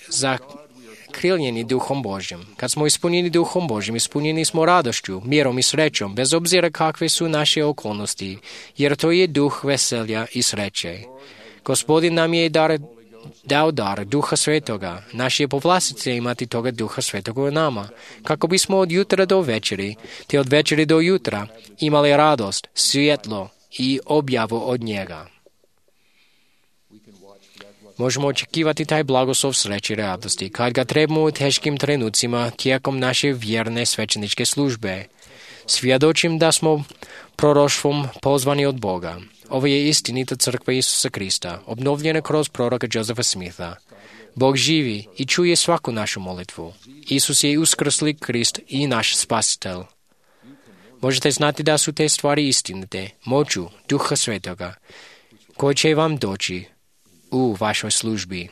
zakriljeni duhom Božjim. Kad smo ispunjeni duhom Božjim, ispunjeni smo radošću, mirom i srećom, bez obzira kakve su naše okolnosti, jer to je duh veselja i sreće. Gospodin nam je dao dar Duha Svetoga. Naš je povlastica imati toga Duha Svetoga u nama, kako bismo od jutra do večeri, te od večeri do jutra, imali radost, svjetlo i objavu od njega. Možemo očekivati taj blagoslov sreće i radosti kad ga trebamo u teškim trenucima tijekom naše vjerne svećeničke službe. Svjedočim da smo proroštvom pozvani od Boga. Ovo je istinita crkva Isusa Krista, obnovljena kroz proroka Josefa Smitha. Bog živi i čuje svaku našu molitvu. Isus je uskrsli Krist i naš spasitelj. Možete znati da su te stvari istinite, moću Duha Svetoga, koji će vam doći u vašoj službi.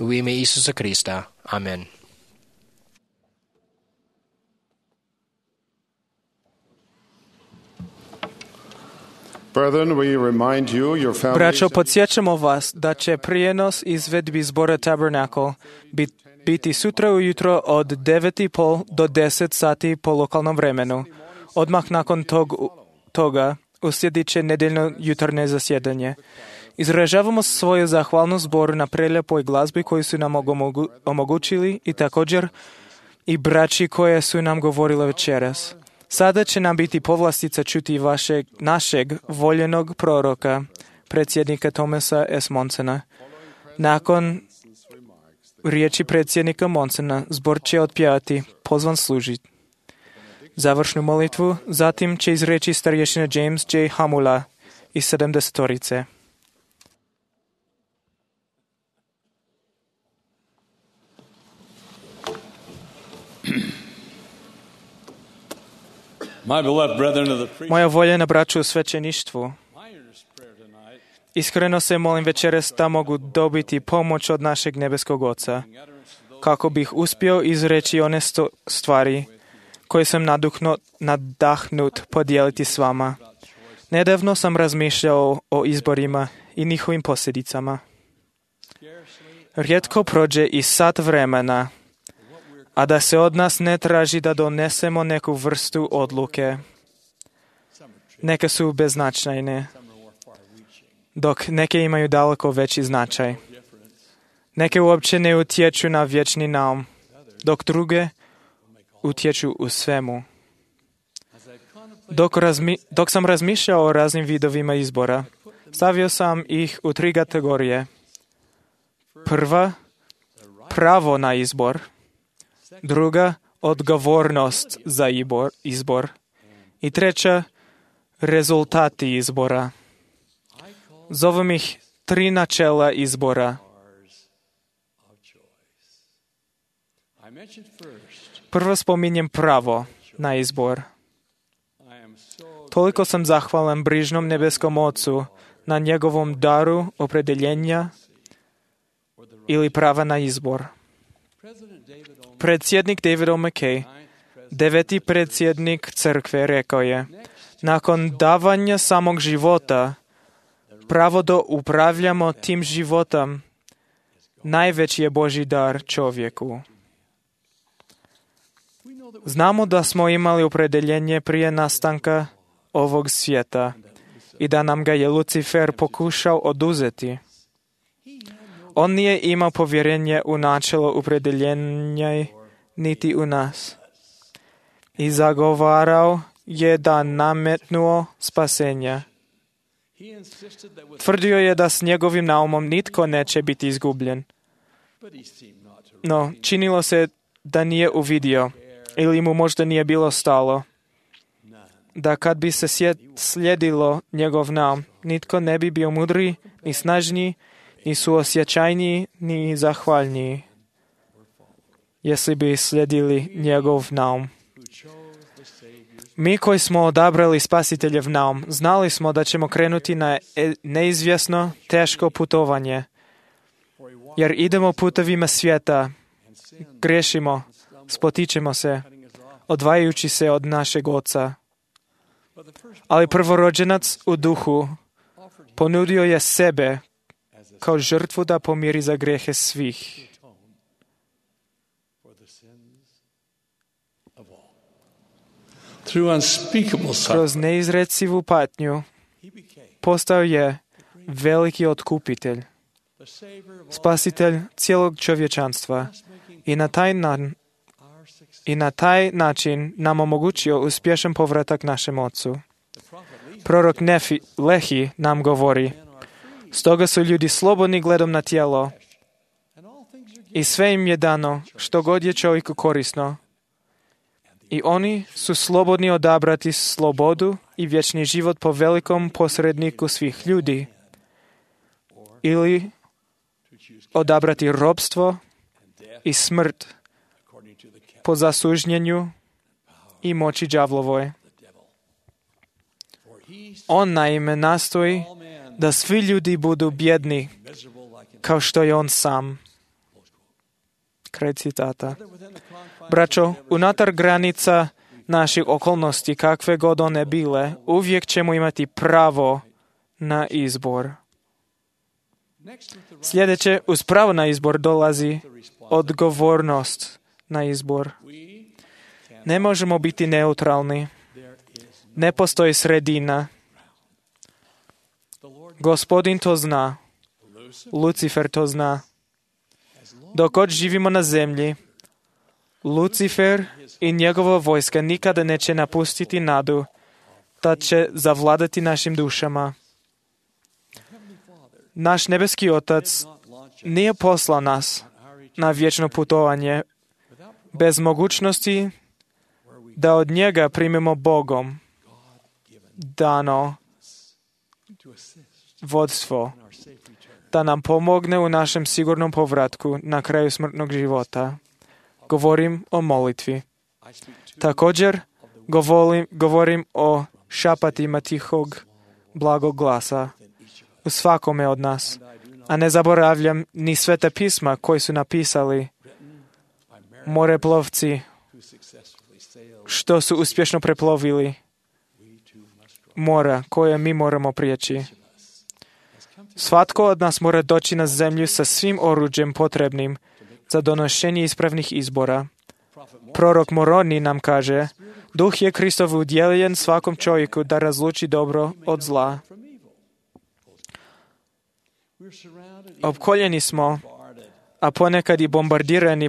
U ime Isusa Krista. Amen. Braćo, podsjećamo vas da će prijenos izvedbi zbora Tabernacle biti sutra ujutro od 9:30 do 10 sati po lokalnom vremenu. Odmah nakon toga uslijedit će nedeljno jutarnje zasjedanje. Izražavamo svoju zahvalnost zboru na prelijepoj glazbi koju su nam omogućili i također i braći koje su nam govorile večeras. Sada će nam biti povlastica čuti našeg voljenog proroka, predsjednika Thomasa S. Monsona. Nakon riječi predsjednika Monsona, zbor će otpjevati Pozvan služiti završnu molitvu, zatim će izreći starješina James J. Hamula iz 70-torice. Moja voljena braću u svećeništvu, iskreno se molim večeras da mogu dobiti pomoć od našeg nebeskog Oca, kako bih uspio izreći one stvari koje sam nadahnut podijeliti s vama. Nedavno sam razmišljao o izborima i njihovim posljedicama. Rijetko prođe i sat vremena, a da se od nas ne traži da donesemo neku vrstu odluke. Neke su beznačajne, dok neke imaju daleko veći značaj. Neke uopće ne utječu na vječni naum, dok druge utječu u svemu. Dok sam razmišljao o raznim vidovima izbora, stavio sam ih u 3 kategorije. Prva, pravo na izbor. Druga, odgovornost za izbor. I treća, rezultati izbora. Zovem ih 3 načela izbora. Prvo spominjem pravo na izbor. Toliko sam zahvalan brižnom nebeskom Ocu na njegovom daru opredeljenja ili prava na izbor. Predsjednik David O. McKay, 9. predsjednik crkve, rekao je: nakon davanja samog života, pravo da upravljamo tim životom najveći je Božji dar čovjeku. Znamo da smo imali opredeljenje prije nastanka ovog svijeta i da nam ga je Lucifer pokušao oduzeti. On nije imao povjerenje u načelo opredeljenja niti u nas. I zagovarao je da nametnuo spasenja. Tvrdio je da s njegovim naumom nitko neće biti izgubljen. No, činilo se da nije uvidio ili mu možda nije bilo stalo da kad bi se slijedilo njegov naum, nitko ne bi bio mudriji, ni snažniji, ni suosjećajniji, ni zahvalniji, jesli bi slijedili njegov naum. Mi koji smo odabrali Spasiteljev naum, znali smo da ćemo krenuti na neizvjesno, teško putovanje, jer idemo putovima svijeta, griješimo, spotičemo se, odvajajući se od našeg Oca. Ali prvorođenac u duhu ponudio je sebe kao žrtvu da pomiri za grijehe svih. Kroz neizrecivu patnju postao je veliki otkupitelj, spasitelj cijelog čovječanstva i na taj način nam omogućio uspješan povratak našem Ocu. Prorok Lehi nam govori: stoga su ljudi slobodni gledom na tijelo i sve im je dano što god je čovjeku korisno. I oni su slobodni odabrati slobodu i vječni život po velikom posredniku svih ljudi ili odabrati robstvo i smrt po zasužnjenju i moći đavlovoj. On naime nastoji da svi ljudi budu bjedni kao što je on sam. Kraj citata. Braćo, unutar granica naših okolnosti, kakve god one bile, uvijek ćemo imati pravo na izbor. Sljedeće, uz pravo na izbor dolazi odgovornost na izbor. Ne možemo biti neutralni. Ne postoji sredina. Gospodin to zna. Lucifer to zna. Dok god živimo na zemlji, Lucifer i njegova vojska nikada neće napustiti nadu da će zavladati našim dušama. Naš nebeski Otac nije poslao nas na vječno putovanje bez mogućnosti da od njega primimo Bogom dano vodstvo, da nam pomogne u našem sigurnom povratku na kraju smrtnog života. Govorim o molitvi. Također govorim o šapatima tihog, blagog glasa u svakome od nas. A ne zaboravljam ni sveta pisma koji su napisali moreplovci što su uspješno preplovili mora koje mi moramo prijeći. Svatko od nas mora doći na zemlju sa svim oruđem potrebnim za donošenje ispravnih izbora. Prorok Moroni nam kaže: Duh je Kristov udjeljen svakom čovjeku da razluči dobro od zla. Opkoljeni smo, a ponekad i bombardirani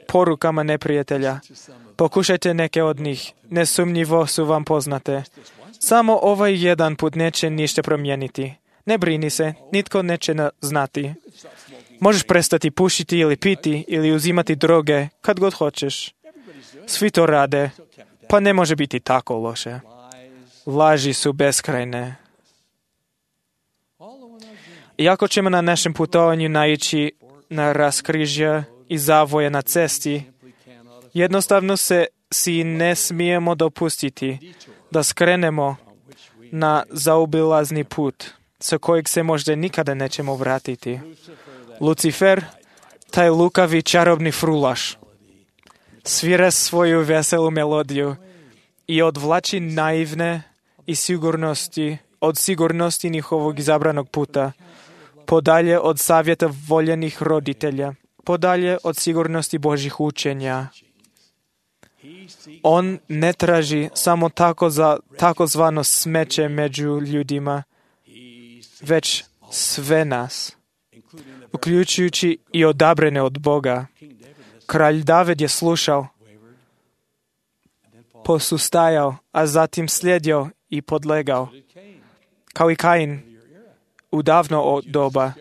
porukama neprijatelja. Pokušajte neke od njih, nesumnjivo su vam poznate. Samo ovaj jedan put neće ništa promijeniti. Ne brini se, nitko neće znati. Možeš prestati pušiti ili piti ili uzimati droge kad god hoćeš. Svi to rade, pa ne može biti tako loše. Laži su beskrajne. Iako ćemo na našem putovanju naići na raskrižja i zavoje na cesti, Jednostavno si ne smijemo dopustiti da skrenemo na zaobilazni put, sa kojeg se možda nikada nećemo vratiti. Lucifer, taj lukavi čarobni frulaš, svira svoju veselu melodiju i odvlači naivne i od sigurnosti njihovog izabranog puta, podalje od savjeta voljenih roditelja, podalje od sigurnosti Božjih učenja. On ne traži samo takozvano smeće među ljudima, već sve nas, uključujući i odabrane od Boga. Kralj David je slušao, posustajao, a zatim slijedio i podlegao, kao i Kain u davno doba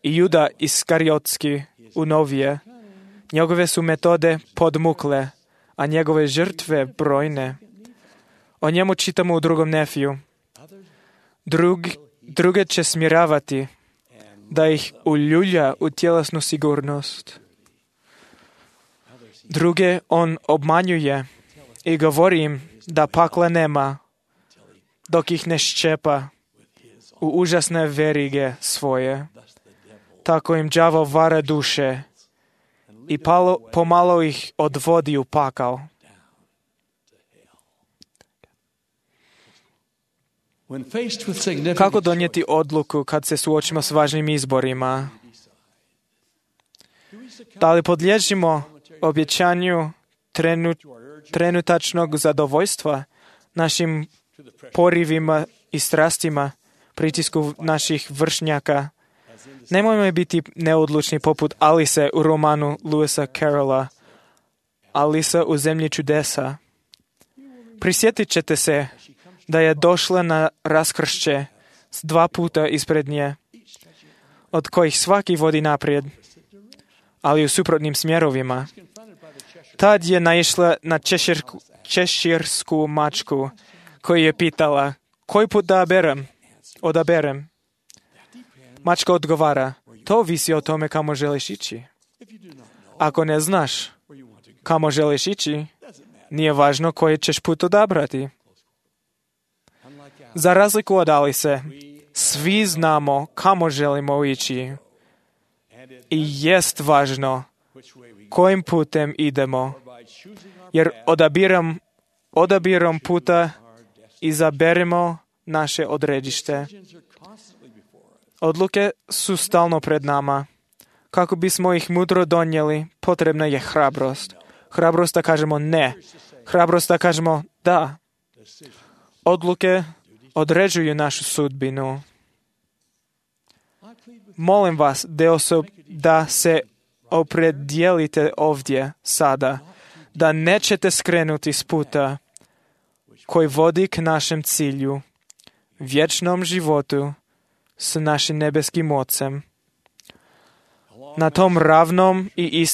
i Juda Iskariotski u novije. Njegove su metode podmukle, a njegove žrtve brojne. O njemu čitamo u 2. Nefiju. Druge će smiravati, da ih uljulja u tjelesnu sigurnost. Druge on obmanjuje i govori im da pakla nema, dok ih ne ščepa u užasne verige svoje. Tako im đavo vara duše i pomalo ih odvodi u pakao. Kako donijeti odluku kad se suočimo s važnim izborima? Da li podliježimo obećanju trenutačnog zadovoljstva, našim porivima i strastima, pritisku naših vršnjaka? Nemojmo biti neodlučni poput Alise u romanu Lewisa Carrolla, Alisa u zemlji čudesa. Prisjetit ćete se da je došla na raskršće s 2 puta ispred nje, od kojih svaki vodi naprijed, ali u suprotnim smjerovima. Tad je naišla na češirsku mačku, koju je pitala, koji put da odaberem? Mačka odgovara, to visi o tome kamo želiš ići. Ako ne znaš kamo želiš ići, nije važno koji ćeš put odabrati. Za razliku od Alise, svi znamo kamo želimo ići. I jest važno kojim putem idemo, jer odabirom puta izaberemo naše odredište. Odluke su stalno pred nama. Kako bismo ih mudro donijeli, potrebna je hrabrost. Hrabrost da kažemo ne. Hrabrost da kažemo da. Odluke određuju našu sudbinu. Molim vas da se opredijelite ovdje sada, da nećete skrenuti s puta koji vodi k našem cilju, vječnom životu s našim nebeskim Ocem. Na tom ravnom i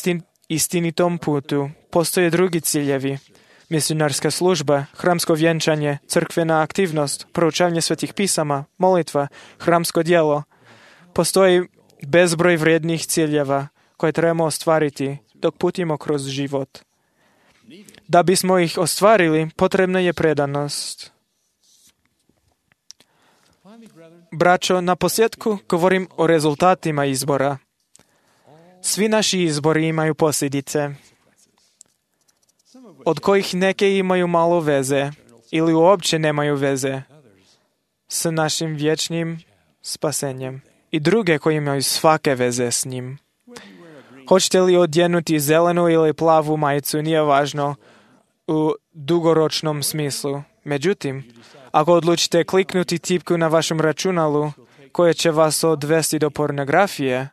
istinitom putu postoje drugi ciljevi. Misionarska služba, hramsko vjenčanje, crkvena aktivnost, proučavanje svetih pisama, molitva, hramsko djelo. Postoji bezbroj vrijednih ciljeva koje trebamo ostvariti dok putimo kroz život. Da bismo ih ostvarili, potrebna je predanost. Braćo, na posljedku govorim o rezultatima izbora. Svi naši izbori imaju posljedice, od kojih neke imaju malo veze ili uopće nemaju veze s našim vječnim spasenjem i druge koje imaju svake veze s njim. Hoćete li odjenuti zelenu ili plavu majicu, nije važno u dugoročnom smislu. Međutim, ako odlučite kliknuti tipku na vašem računalu koje će vas odvesti do pornografije,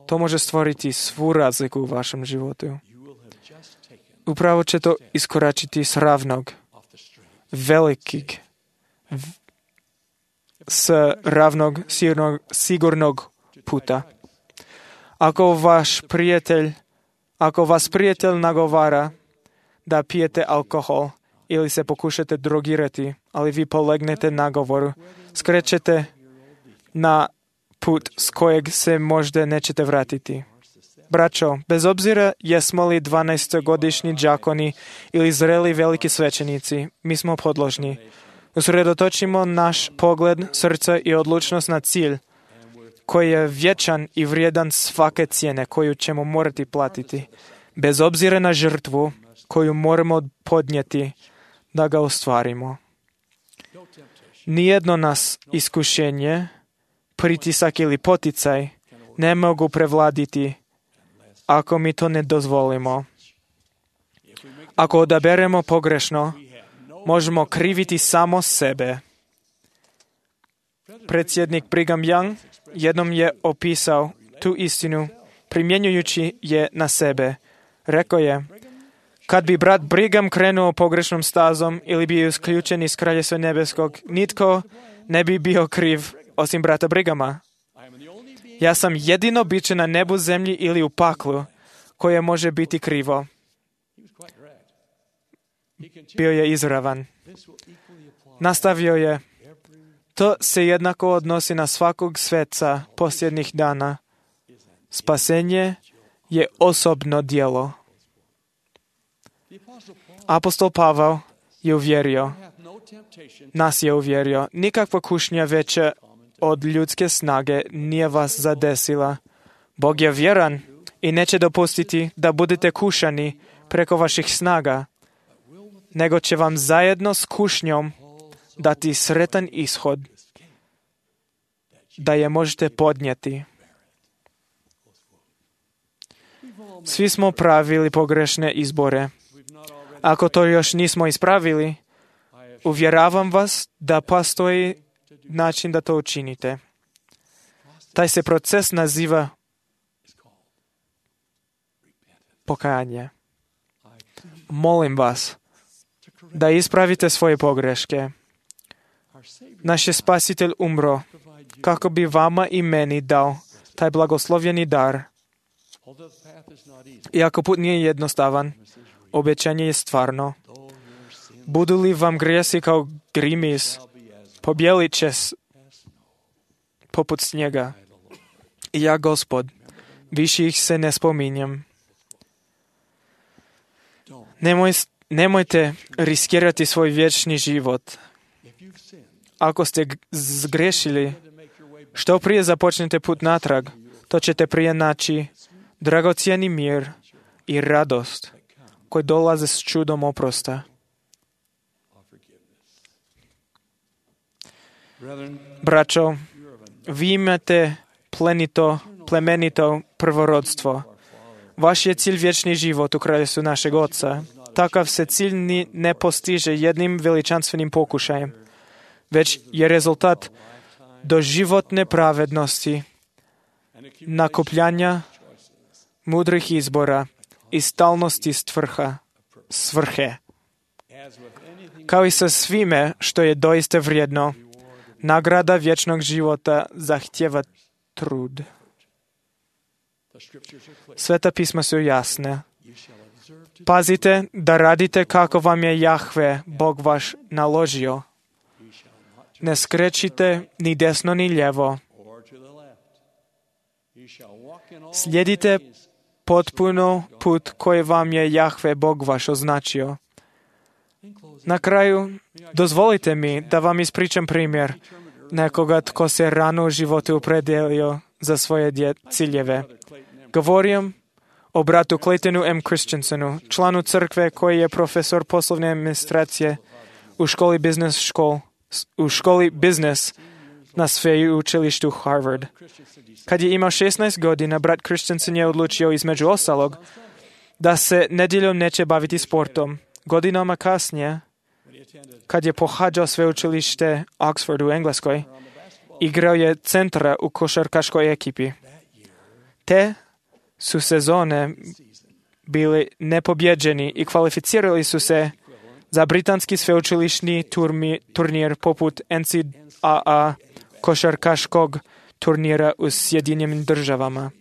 to može stvoriti svu razliku u vašem životu. Upravo će to iskoračiti s ravnog, s ravnog, sigurnog puta. Ako vas prijatelj nagovara da pijete alkohol ili se pokušate drogirati, ali vi polegnete nagovoru, skrećete na put s kojeg se možda nećete vratiti. Braćo, bez obzira jesmo li 12-godišnji đakoni ili zreli veliki svećenici, mi smo podložni. Usredotočimo naš pogled, srce i odlučnost na cilj, koji je vječan i vrijedan svake cijene koju ćemo morati platiti, bez obzira na žrtvu koju moramo podnijeti da ga ostvarimo. Nijedno nas iskušenje, pritisak ili poticaj ne mogu prevladiti ako mi to ne dozvolimo. Ako odaberemo pogrešno, možemo kriviti samo sebe. Predsjednik Brigham Young jednom je opisao tu istinu primjenjujući je na sebe. Rekao je, kad bi brat Brigham krenuo pogrešnom stazom ili bio isključen iz Kraljevstva nebeskog, nitko ne bi bio kriv osim brata Brighama. Ja sam jedino biće na nebu, zemlji ili u paklu koje može biti krivo. Bio je izravan. Nastavio je, to se jednako odnosi na svakog sveca posljednjih dana. Spasenje je osobno djelo. Apostol Pavao je uvjerio, nas je uvjerio, nikakva kušnja veća od ljudske snage nije vas zadesila. Bog je vjeran i neće dopustiti da budete kušani preko vaših snaga, nego će vam zajedno s kušnjom dati sretan ishod, da je možete podnijeti. Svi smo pravili pogrešne izbore. Ako to još nismo ispravili, uvjeravam vas da postoji način da to učinite. Taj se proces naziva pokajanje. Molim vas da ispravite svoje pogreške. Naš je Spasitelj umro kako bi vama i meni dao taj blagoslovljeni dar. Iako put nije jednostavan, obećanje je stvarno. Budu li vam grijesi kao grimis, pobjelit će poput snijega. I ja, Gospod, više ih se ne spominjem. Nemojte riskirati svoj vječni život. Ako ste zgrešili, što prije započnete put natrag, to ćete prije naći dragocjeni mir i radost koji dolaze s čudom oprosta. Braćo, vi imate plemenito prvorodstvo. Vaš je cilj vječni život u kraljevstvu našeg Oca. Takav se cilj ne postiže jednim veličanstvenim pokušajem, već je rezultat doživotne pravednosti, nakupljanja mudrih izbora i stalnosti svrhe. Kao i sa svime što je doista vrijedno, nagrada vječnog života zahtjeva trud. Sveta pisma su jasne. Pazite da radite kako vam je Jahve, Bog vaš, naložio. Ne skrećite ni desno ni lijevo. Slijedite potpuno put koji vam je Jahve, Bog vaš, označio. Na kraju, dozvolite mi da vam ispričam primjer nekoga tko se rano u životu opredijelio za svoje ciljeve. Govorim o bratu Claytonu M. Christensenu, članu crkve koji je profesor poslovne administracije u školi biznis na sveučilištu Harvard. Kad je imao 16 godina, brat Christensen je odlučio između ostalog da se nedjeljom neće baviti sportom. Godinama kasnije, kad je pohađao sveučilište Oxford u Engleskoj, igrao je centra u košarkaškoj ekipi. Te su sezone bili nepobjeđeni i kvalificirali su se za britanski sveučilišni turnir poput NCAA košarkaškog turnira u Sjedinjenim Državama.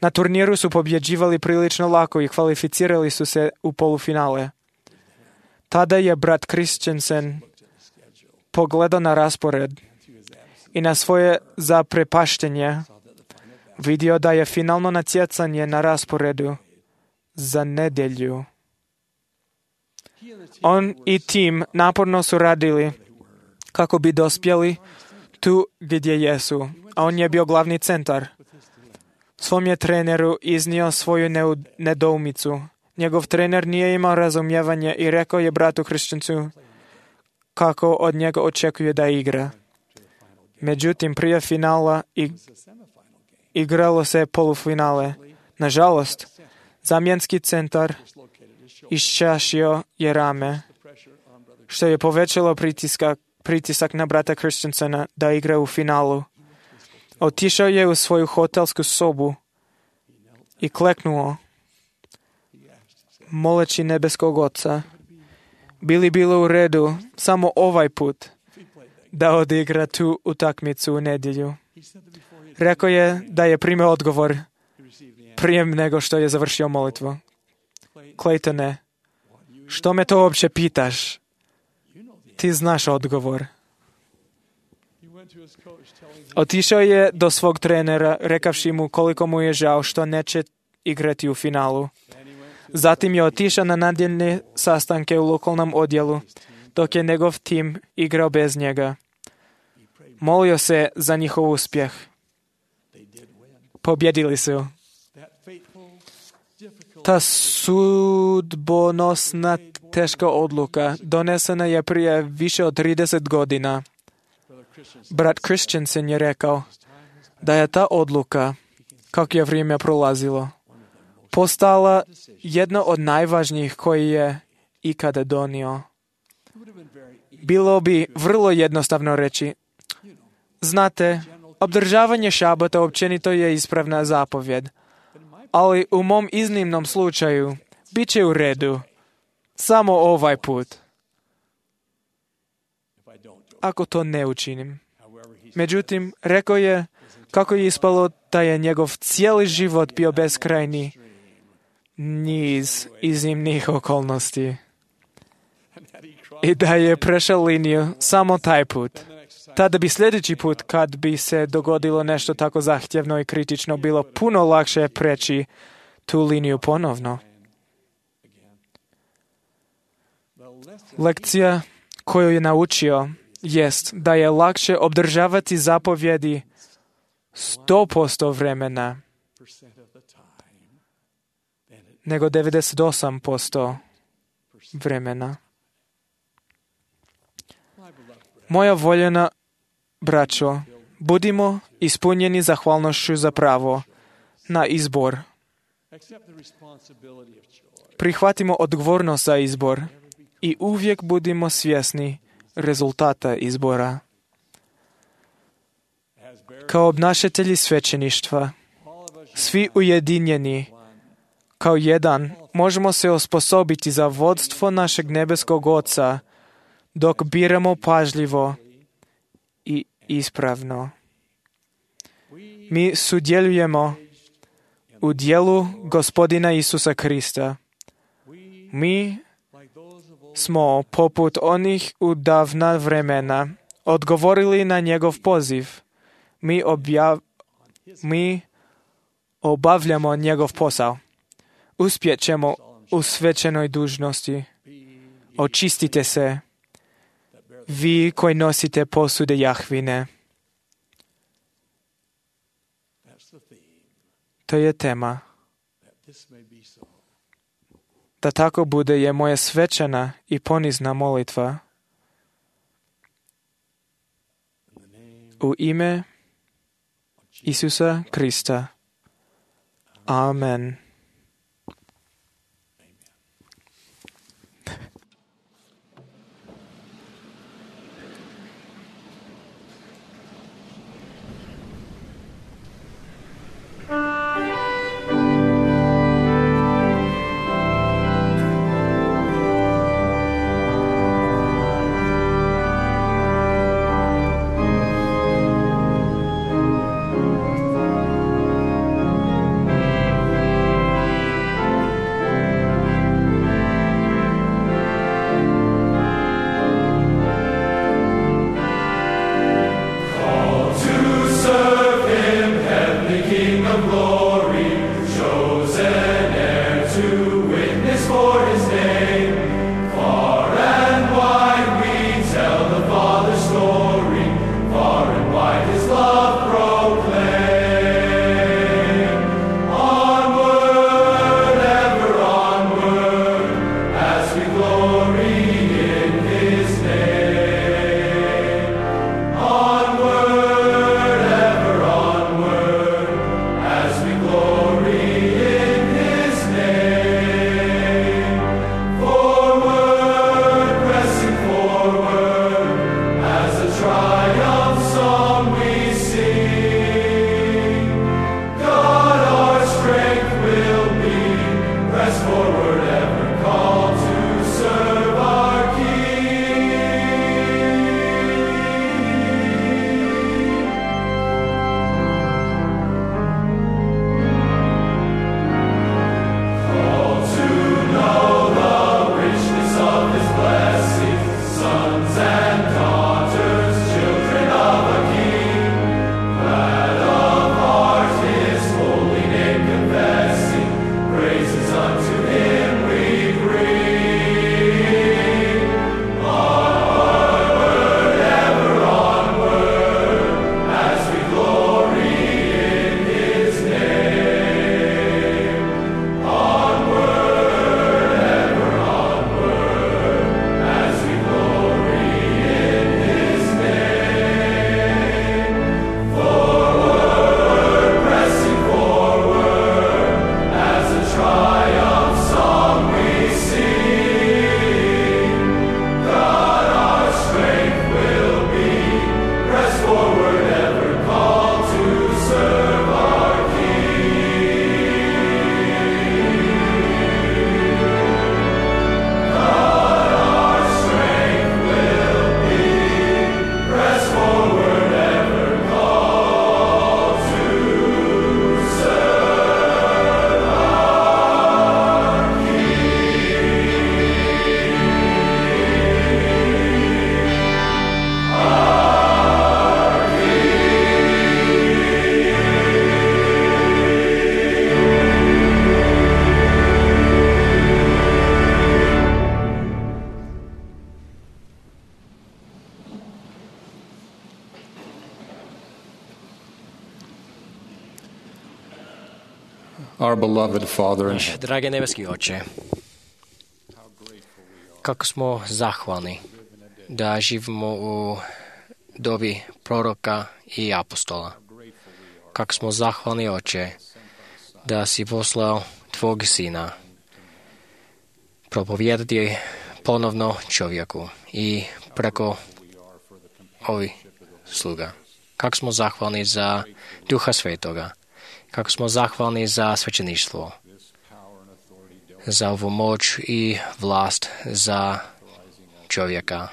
Na turniru su pobjeđivali prilično lako i kvalificirali su se u polufinale. Tada je brat Christensen pogledao na raspored i na svoje zaprepaštenje vidio da je finalno natjecanje na rasporedu za nedjelju. On i tim naporno su radili kako bi dospjeli tu gdje jesu, a on je bio glavni centar. Svom je treneru iznio svoju nedoumicu. Njegov trener nije imao razumijevanje i rekao je bratu Christiansu kako od njega očekuje da igra. Međutim, prije finala igralo se polufinale. Nažalost, zamjenski centar iščašio je rame, što je povećalo pritisak na brata Christiansena da igra u finalu. Otišao je u svoju hotelsku sobu i kleknuo, moleći nebeskog Oca, bi li bilo u redu samo ovaj put da odigra tu utakmicu u nedjelju. Rekao je da je primio odgovor prije nego što je završio molitvu. Claytone, što me to uopće pitaš? Ti znaš odgovor. Otišao je do svog trenera, rekavši mu koliko mu je žao što neće igrati u finalu. Zatim je otišao na nedjeljne sastanke u lokalnom odjelu, dok je njegov tim igrao bez njega. Molio se za njihov uspjeh. Pobjedili su. Ta sudbonosna teška odluka donesena je prije više od 30 godina. Brat Christiansen je rekao da je ta odluka, kako je vrijeme prolazilo, postala jedna od najvažnijih koji je ikada donio. Bilo bi vrlo jednostavno reći, znate, obdržavanje šabata općenito je ispravna zapovjed, ali u mom iznimnom slučaju bit će u redu, samo ovaj put, ako to ne učinim. Međutim, rekao je kako je ispalo da je njegov cijeli život bio beskrajni niz iznimnih okolnosti i da je prešao liniju samo taj put. Tada bi sljedeći put, kad bi se dogodilo nešto tako zahtjevno i kritično, bilo puno lakše preći tu liniju ponovno. Lekcija koju je naučio jest da je lakše obdržavati zapovjedi 100% vremena nego 98% vremena. Moja voljena braćo, budimo ispunjeni zahvalnošću za pravo na izbor. Prihvatimo odgovornost za izbor i uvijek budimo svjesni rezultata izbora. Kao obnašatelji svećeništva, svi ujedinjeni kao jedan, možemo se osposobiti za vodstvo našeg nebeskog Oca dok biramo pažljivo i ispravno. Mi sudjelujemo u djelu Gospodina Isusa Krista. Mi smo, poput onih u davna vremena, odgovorili na njegov poziv. Mi obavljamo njegov posao. Uspjet ćemo u svečanoj dužnosti. Očistite se, vi koji nosite posude Jahvine. To je tema. Da tako bude je moja svečana i ponizna molitva. U ime Isusa Krista. Amen. Our beloved Father in heaven, Dragi nebeski Oče, kako smo zahvalni da živimo u dobi proroka i apostola. Kako smo zahvalni, Oče, da si poslao Tvog Sina propovijedati ponovno čovjeku i preko ovih sluga. Kako smo zahvalni za Duha Svetoga. Kako smo zahvalni za svećeništvo, za ovu moć i vlast za čovjeka.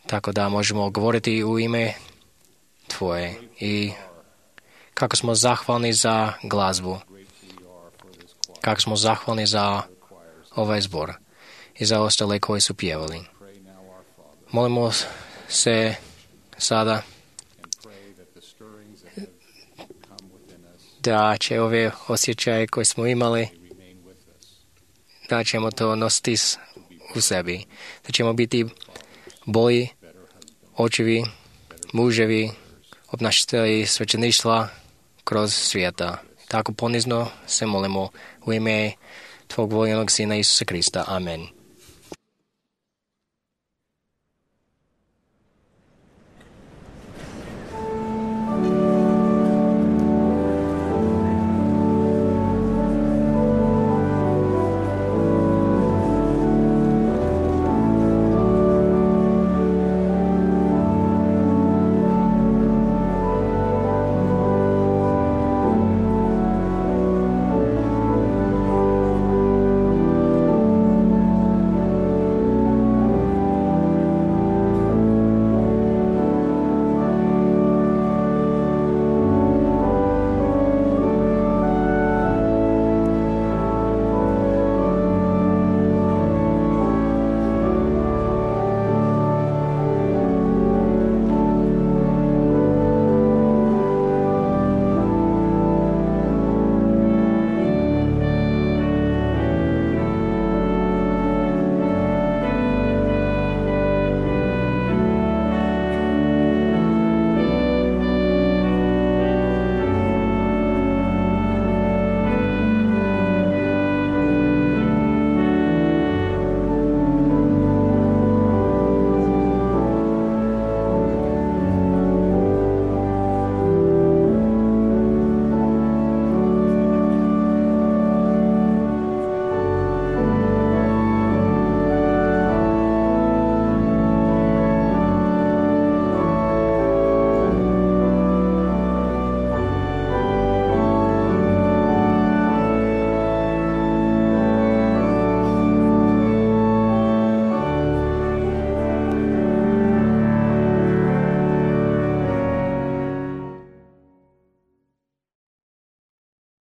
Tako da možemo govoriti u ime Tvoje. I kako smo zahvalni za glazbu. Kako smo zahvalni za ovaj zbor i za ostale koji su pjevali. Molimo se sada da će ove osjećaje koje smo imali, da ćemo to nositi u sebi. Da ćemo biti bolji očevi, muževi, obnašatelji svećeništva kroz svijeta. Tako ponizno se molimo u ime Tvog voljenog Sina Isusa Krista. Amen.